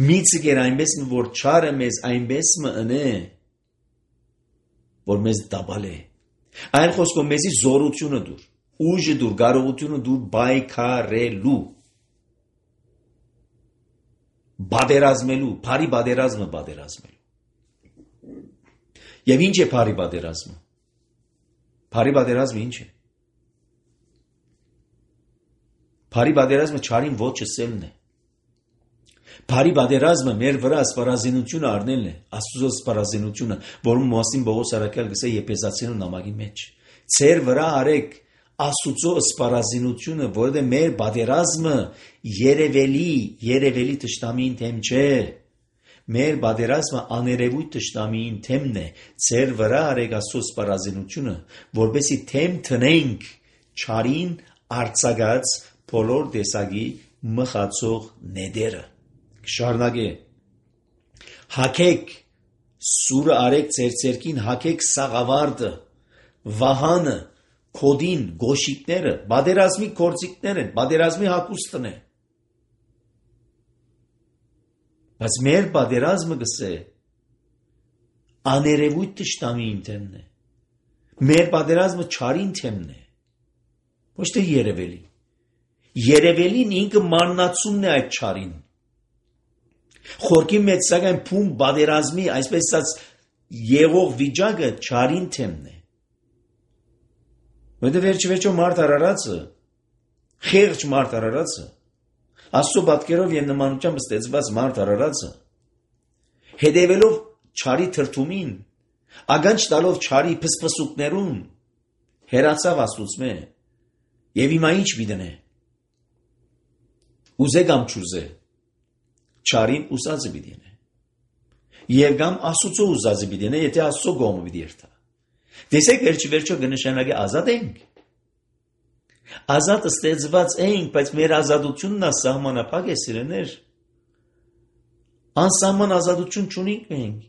միցը գեր այնպես մը, որ չարը մեզ այնպես մը ընե, որ մեզ դաբալ է, այն խոսքով մեզի զորությունը դուր, ուժը դուր, կարողությունը դուր բայքարելու, բادرազմելու, բարի բادرազմը։ Եվ ինչ է բարի բادرազմը։ Բարի բادرազմը ինչ է։ Բարի բادرազմը չարին ոչ ասելն է։ Բարի բادرազմը մեր վրա սպառազինությունը առնելն է, Աստծո սպառազինությունը, որում մասին Պողոս առաքյալ գսե Եփեսացիներու նամակի մեջ։ Ձեր վրա արեք Աստծո սպառազինությունը, որովհետև մեր բادرազմը երևելի տշտամին թեմ չէ։ Մեր բادرազմը աներևույթ տշտամին թեմն է։ Ձեր վրա արեք Աստծո սպառազինությունը, որպեսզի թեմ տնենք չարին արձակած բոլոր տեսակի մխացող նեդերը։ Շարունակե։ Հակեք սուրը արեք ձեր ցերքին, հակեք սաղավարտը, վահանը, քոդին, գոշիկները, բادرազմի գործիքներ են, բادرազմի հակուստն է։ Բայց մեր բادرազմը գսե աներևույթ տշտամին թեմն է։ Մեր բادرազմը չարին թեմն է։ Ոչ թե երևելի։ Երևելին ինքը մաննացումն է այդ չարին։ Խորքի մեջ սակայն փում բادرազմի, այսպես ասած, եղող վիճակը չարին թեմն է։ Որտե վերջիվերջո մարդ արարածը, խեղճ մարդ արարածը, Աստծո պատկերով եւ նմանությամբ ստեղծված մարդ արարածը, հետևելով չարի թրթումին, ագանջ տալով չարի փսփսուկներուն, հերացավ Աստծո եւ հիմա ինչ միտենե։ Ուզե կամ չուզե, չարին ուսածը պիտի։ Եվ կամ Աստծո ուզածը պիտի, եթե Աստծո կողմը պիտի երթա։ Տեսեք վերջիվերջո կնշանակի ազատ ենք։ Ազատ ստեղծված ենք, բայց մեր ազատությունն սահմանափակ է սիրեներ։ Անսահման ազատություն չունենք մենք։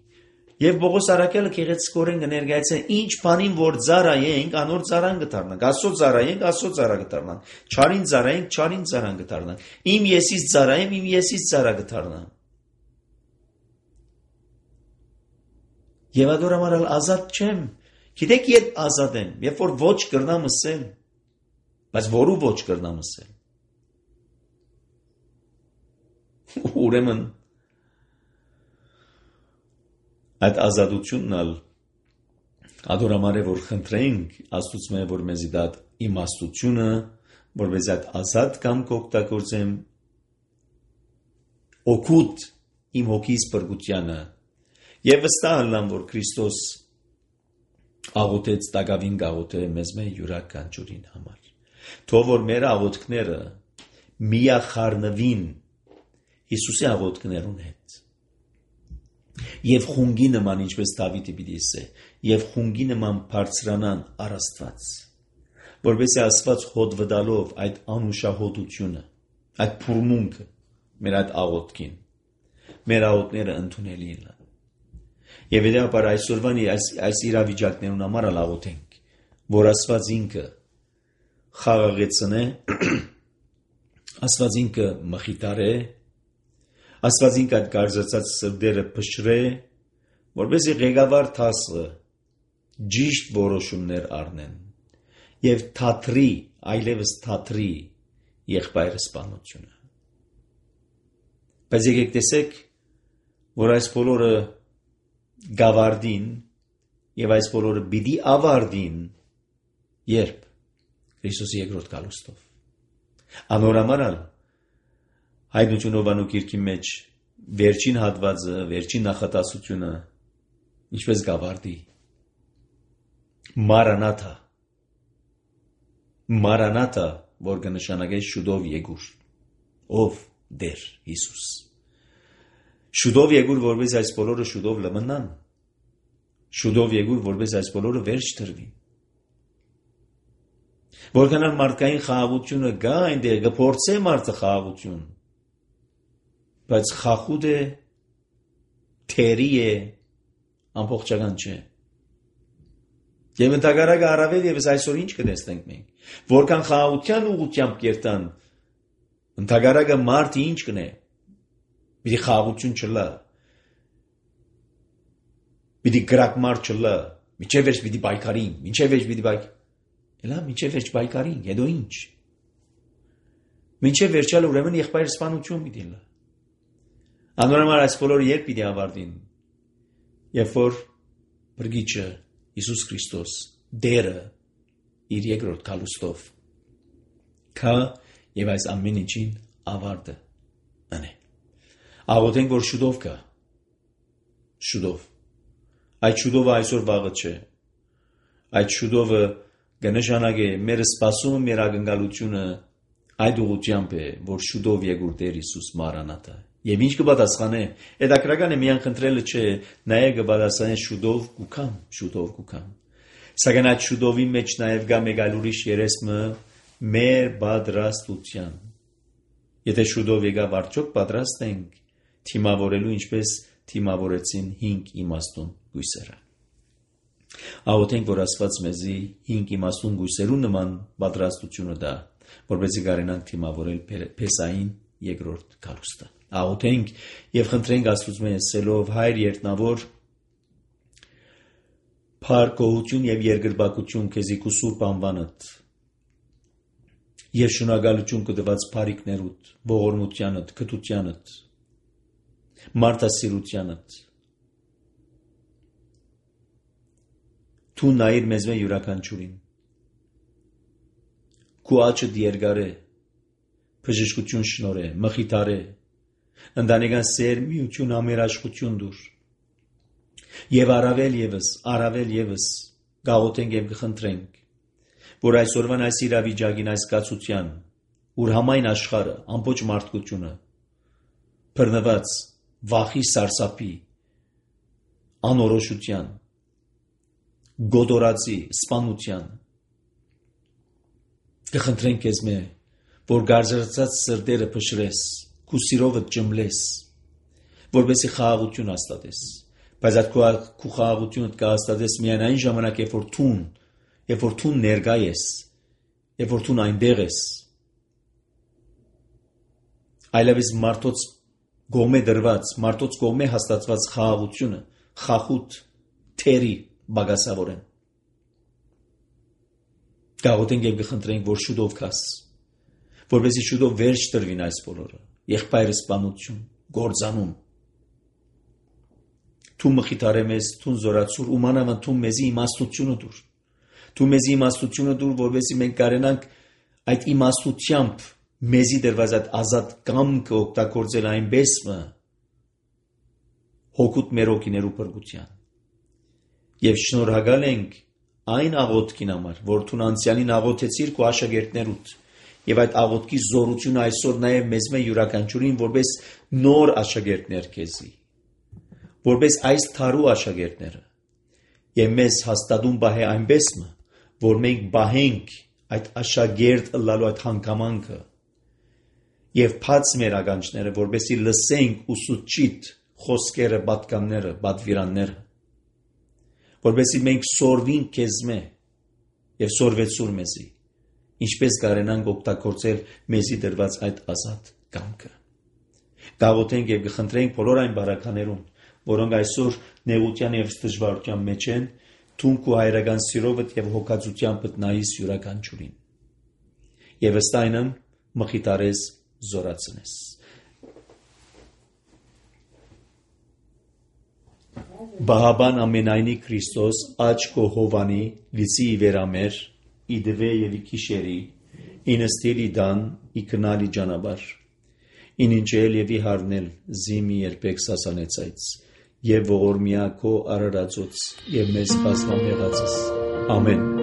Եվ Պողոս առաքյալը գեղեցկորեն կներկայացնե ինչ բանին որ ծառայենք, անոր ծառան կդառնանք։ Աստծո ծառայենք, Աստծո ծառա կդառնանք։ Չարին ծառայենք, չարին ծառան կդառնանք։ Իմ եսից ծառայեմ, իմ եսից ծառա կդառնամ։ Եվ adorամարալ ազատ չեմ։ Գիտեք երբ ազատ եմ, երբ որ ոչ կրնամ ասել, բայց որու ոչ կրնամ ասել։ Ուրեմն այդ ազատությունն ալ adorամար է որ խնդրենք Աստծո որ մեզի դա իմաստությունը, որպես այդ ազատ կամ կօգտագործեմ օգուտ իմ հոգիս բրգությանը եւ վստահ ալամ որ Քրիստոս աղոթեց տակավին գաղոթե մեզ յուրաքանչյուրին համար։ Թող որ մեր աղոթքները միախառնվին Հիսուսի աղոթքներուն հետ։ Եվ խունգի նման, ինչպես Դավիթը պիտի ասե, եւ խունգի նման բարձրանան առ Աստված, որովհետեւ Աստված հոտ վդալով այդ անուշահոտությունը, այդ փուրմունքը մեր այդ աղոթքին, մեր աղոթքները ընդունելի են։ Եվ հետեւաբար այսօրվան այս իրավիճակներուն համար աղոթենք, որ Աստված ինքը խաղաղեցնե, Աստված ինքը մխիտարե, Աստված ինքը այդ գարձացած սրտերը փշրե, որպեսզի ղեկավար դասը ճիշտ որոշումներ առնեն եւ թատրի, այլևս թատրի եղբայրը սպանությունը։ Բայց եկեք տեսեք, որ այս բոլորը գավարդին եւ այս բոլորը պիտի ավարտին երբ Քրիստոսի երկրորդ գալուստով։ Անորամարալ Հայտնություն Ովանուկիրքի մեջ վերջին հատվածը, վերջին նախատասությունը ինչպես գավարդի Մարանաթա, որ կնշանակե շուտով եկուր, ով Դեր Հիսուս։ Շուտով եկուր, որպես այս բոլորը շուտով լմնան, շուտով եկուր, որպես այս բոլորը վերջ տրվի։ Որքան մարդկային խաղաղությունը գա այնտեղ, կփորձե մարդը խաղաղություն, բայց խախուդ է, թերի է, ամբողջական չէ։ Եվ ընդհակառակը առավել եւս այսօր ինչ կտեսնենք մենք, որքան խաղաղության ուղղությամբ կերտան, ընդհակառակը մարդը ինչ կնե, պիտի խաղաղություն չլա, պիտի գրակմար չլա, միջև վերջ պիտի բայկարին, միջև վերջ պիտի բայկ, Էլա միջև վերջ բայկարին, հետո ինչ։ Մինչև վերջալ ուրեմն եղբայր սպանություն պիտի լա։ Անորոշ այս բոլորը երբ պիտի ավարտին, երբ որ Փրկիչը Հիսուս Քրիստոս Դերը իր երկրորդ գալուստով կա եւ այս ամեն ինչին ավարտը անե։ Աղոթենք, որ շուտով կա։ Շուտով։ Այդ շուտովը այսօր վաղը չէ։ Այդ շուտովը կնշանակե մեր սպասումը, մեր ակնկալությունը այդ ուղղությամբ է, որ շուտով եկուր Տեր Հիսուս Մարանաթա։ Եվ ինչ կպատասխանե, հետաքրական է միան խնդրելը չէ, նաև կպատասխանե շուտով կուքամ։ Սակայն այդ շուտովի մեջ նաև գա մեկ այլ ուրիշ երեսմը մեր պատրաստության։ Եթե շուտով եկավ արդյոք պատրաստ ենք թիմավորելու, ինչպես թիմավորեցին 5 իմաստուն գույսերը։ Աղոթենք, որ Աստված մեզի 5 իմաստուն գույսերու նման պատրաստությունը տա, որպեսզի կարենանք թիմավորել Փեսային երկրորդ գալուստը։ Աղոթենք եւ խնդրենք Աստծուց ասելով Հայր երտնավոր փառքություն եւ երկրպագություն քեզի քու սուրբ անվանդ եւ շնորհակալություն կդված բարիքներուդ, ողորմությանդ, քթությանդ, մարդասիրությանդ Դու նայիր մեզ յուրաքանչյուրին։ Քու աչքդ երկարե, բժշկություն շնորհե, մխիթարե, ընտանեկան սեր, միություն, ամերաշխություն դուր։ Եվ առավել եւս գաղութենք եւ կխնդրենք, որ այսօրվան այս իրավիճակին, այս կացության, ուր համայն աշխարհը, ամբողջ մարդկությունը բռնված վախի սարսափի, անորոշության, գոդորացի, սպանության կխնդրենք քեզ որ գարձրացած սրտերը փշրես, քու սիրովը ջմլես, որպեսզի խաղաղություն հաստատես, բայց այդ քու խաղաղությունը կհաստատես միայն այն ժամանակ, երբ որ դու ներկա ես, երբ որ դու այնտեղ ես, այլևս մարդոց գոմե դրված, մարդոց գոմե հաստատված խաղաղությունը, խախուտ, թերի բագասավորեն։ Գաղութենք եւ կխնդրենք, որ շուտով կաս, որպեսզի շուտով վերջ տրվին այս բոլորը, եղբայր սպանություն, գործանում։ Դու մխիթարե մեզ, դու զորացուր, ու մանավանդ դու մեզի իմաստությունը դուր։ Դու մեզի իմաստությունը դուր, որպեսզի մենք կարենանք այդ իմաստությամբ մեզի դրված այդ ազատ կամքը օգտագործել այնպես հոգուտ մեր օգիներու փրկության։ Եվ շնորհակալ ենք, այն աղոթքին համար, որ դու անցյալին աղոթեցիր քո աշակերտներուդ, եւ այդ աղոթքի զորությունը այսօր նաեւ մեզ մե յուրաքանչյուրին որպես նոր աշակերտներ քեզի, որպես այս թարու աշակերտները, եւ մեզ հաստատուն բահե այնպես մը, որ մենք բահենք այդ աշակերտ ըլլալու այդ հանգամանքը եւ բաց մեր ականջները, որպեսզի լսենք ուսուցիչ խոսքերը, պատկանները, պատվիրանները, որպեսզի մենք սորվենք քեզմե եւ սորվեցուր մեզի, ինչպես կարենանք օգտագործել մեզի դրված այդ ազատ կամքը։ Գաղութենք եւ կխնդրենք բոլոր այն բարականերուն, որոնք այսօր նեղության եւ դժվարության մեջ են, թունք ու հայրական սիրովդ եւ հոգացությամբ նայիս յուրաքանչյուրին։ Եվ ըստ այնմ մխիթարես զորացնես։ Բահաբան ամենայնի Քրիստոս աչ քո հովանի լիցի իվերամեր իդվե եւ իքիշերի ինստիլ իդան իքնալի ջանաբար ինինչել եւ իհարնել զիմի երբեք սասանեցայց եւ ողորմիա քո արարածոց եւ մեզ բազմամեղածս ամեն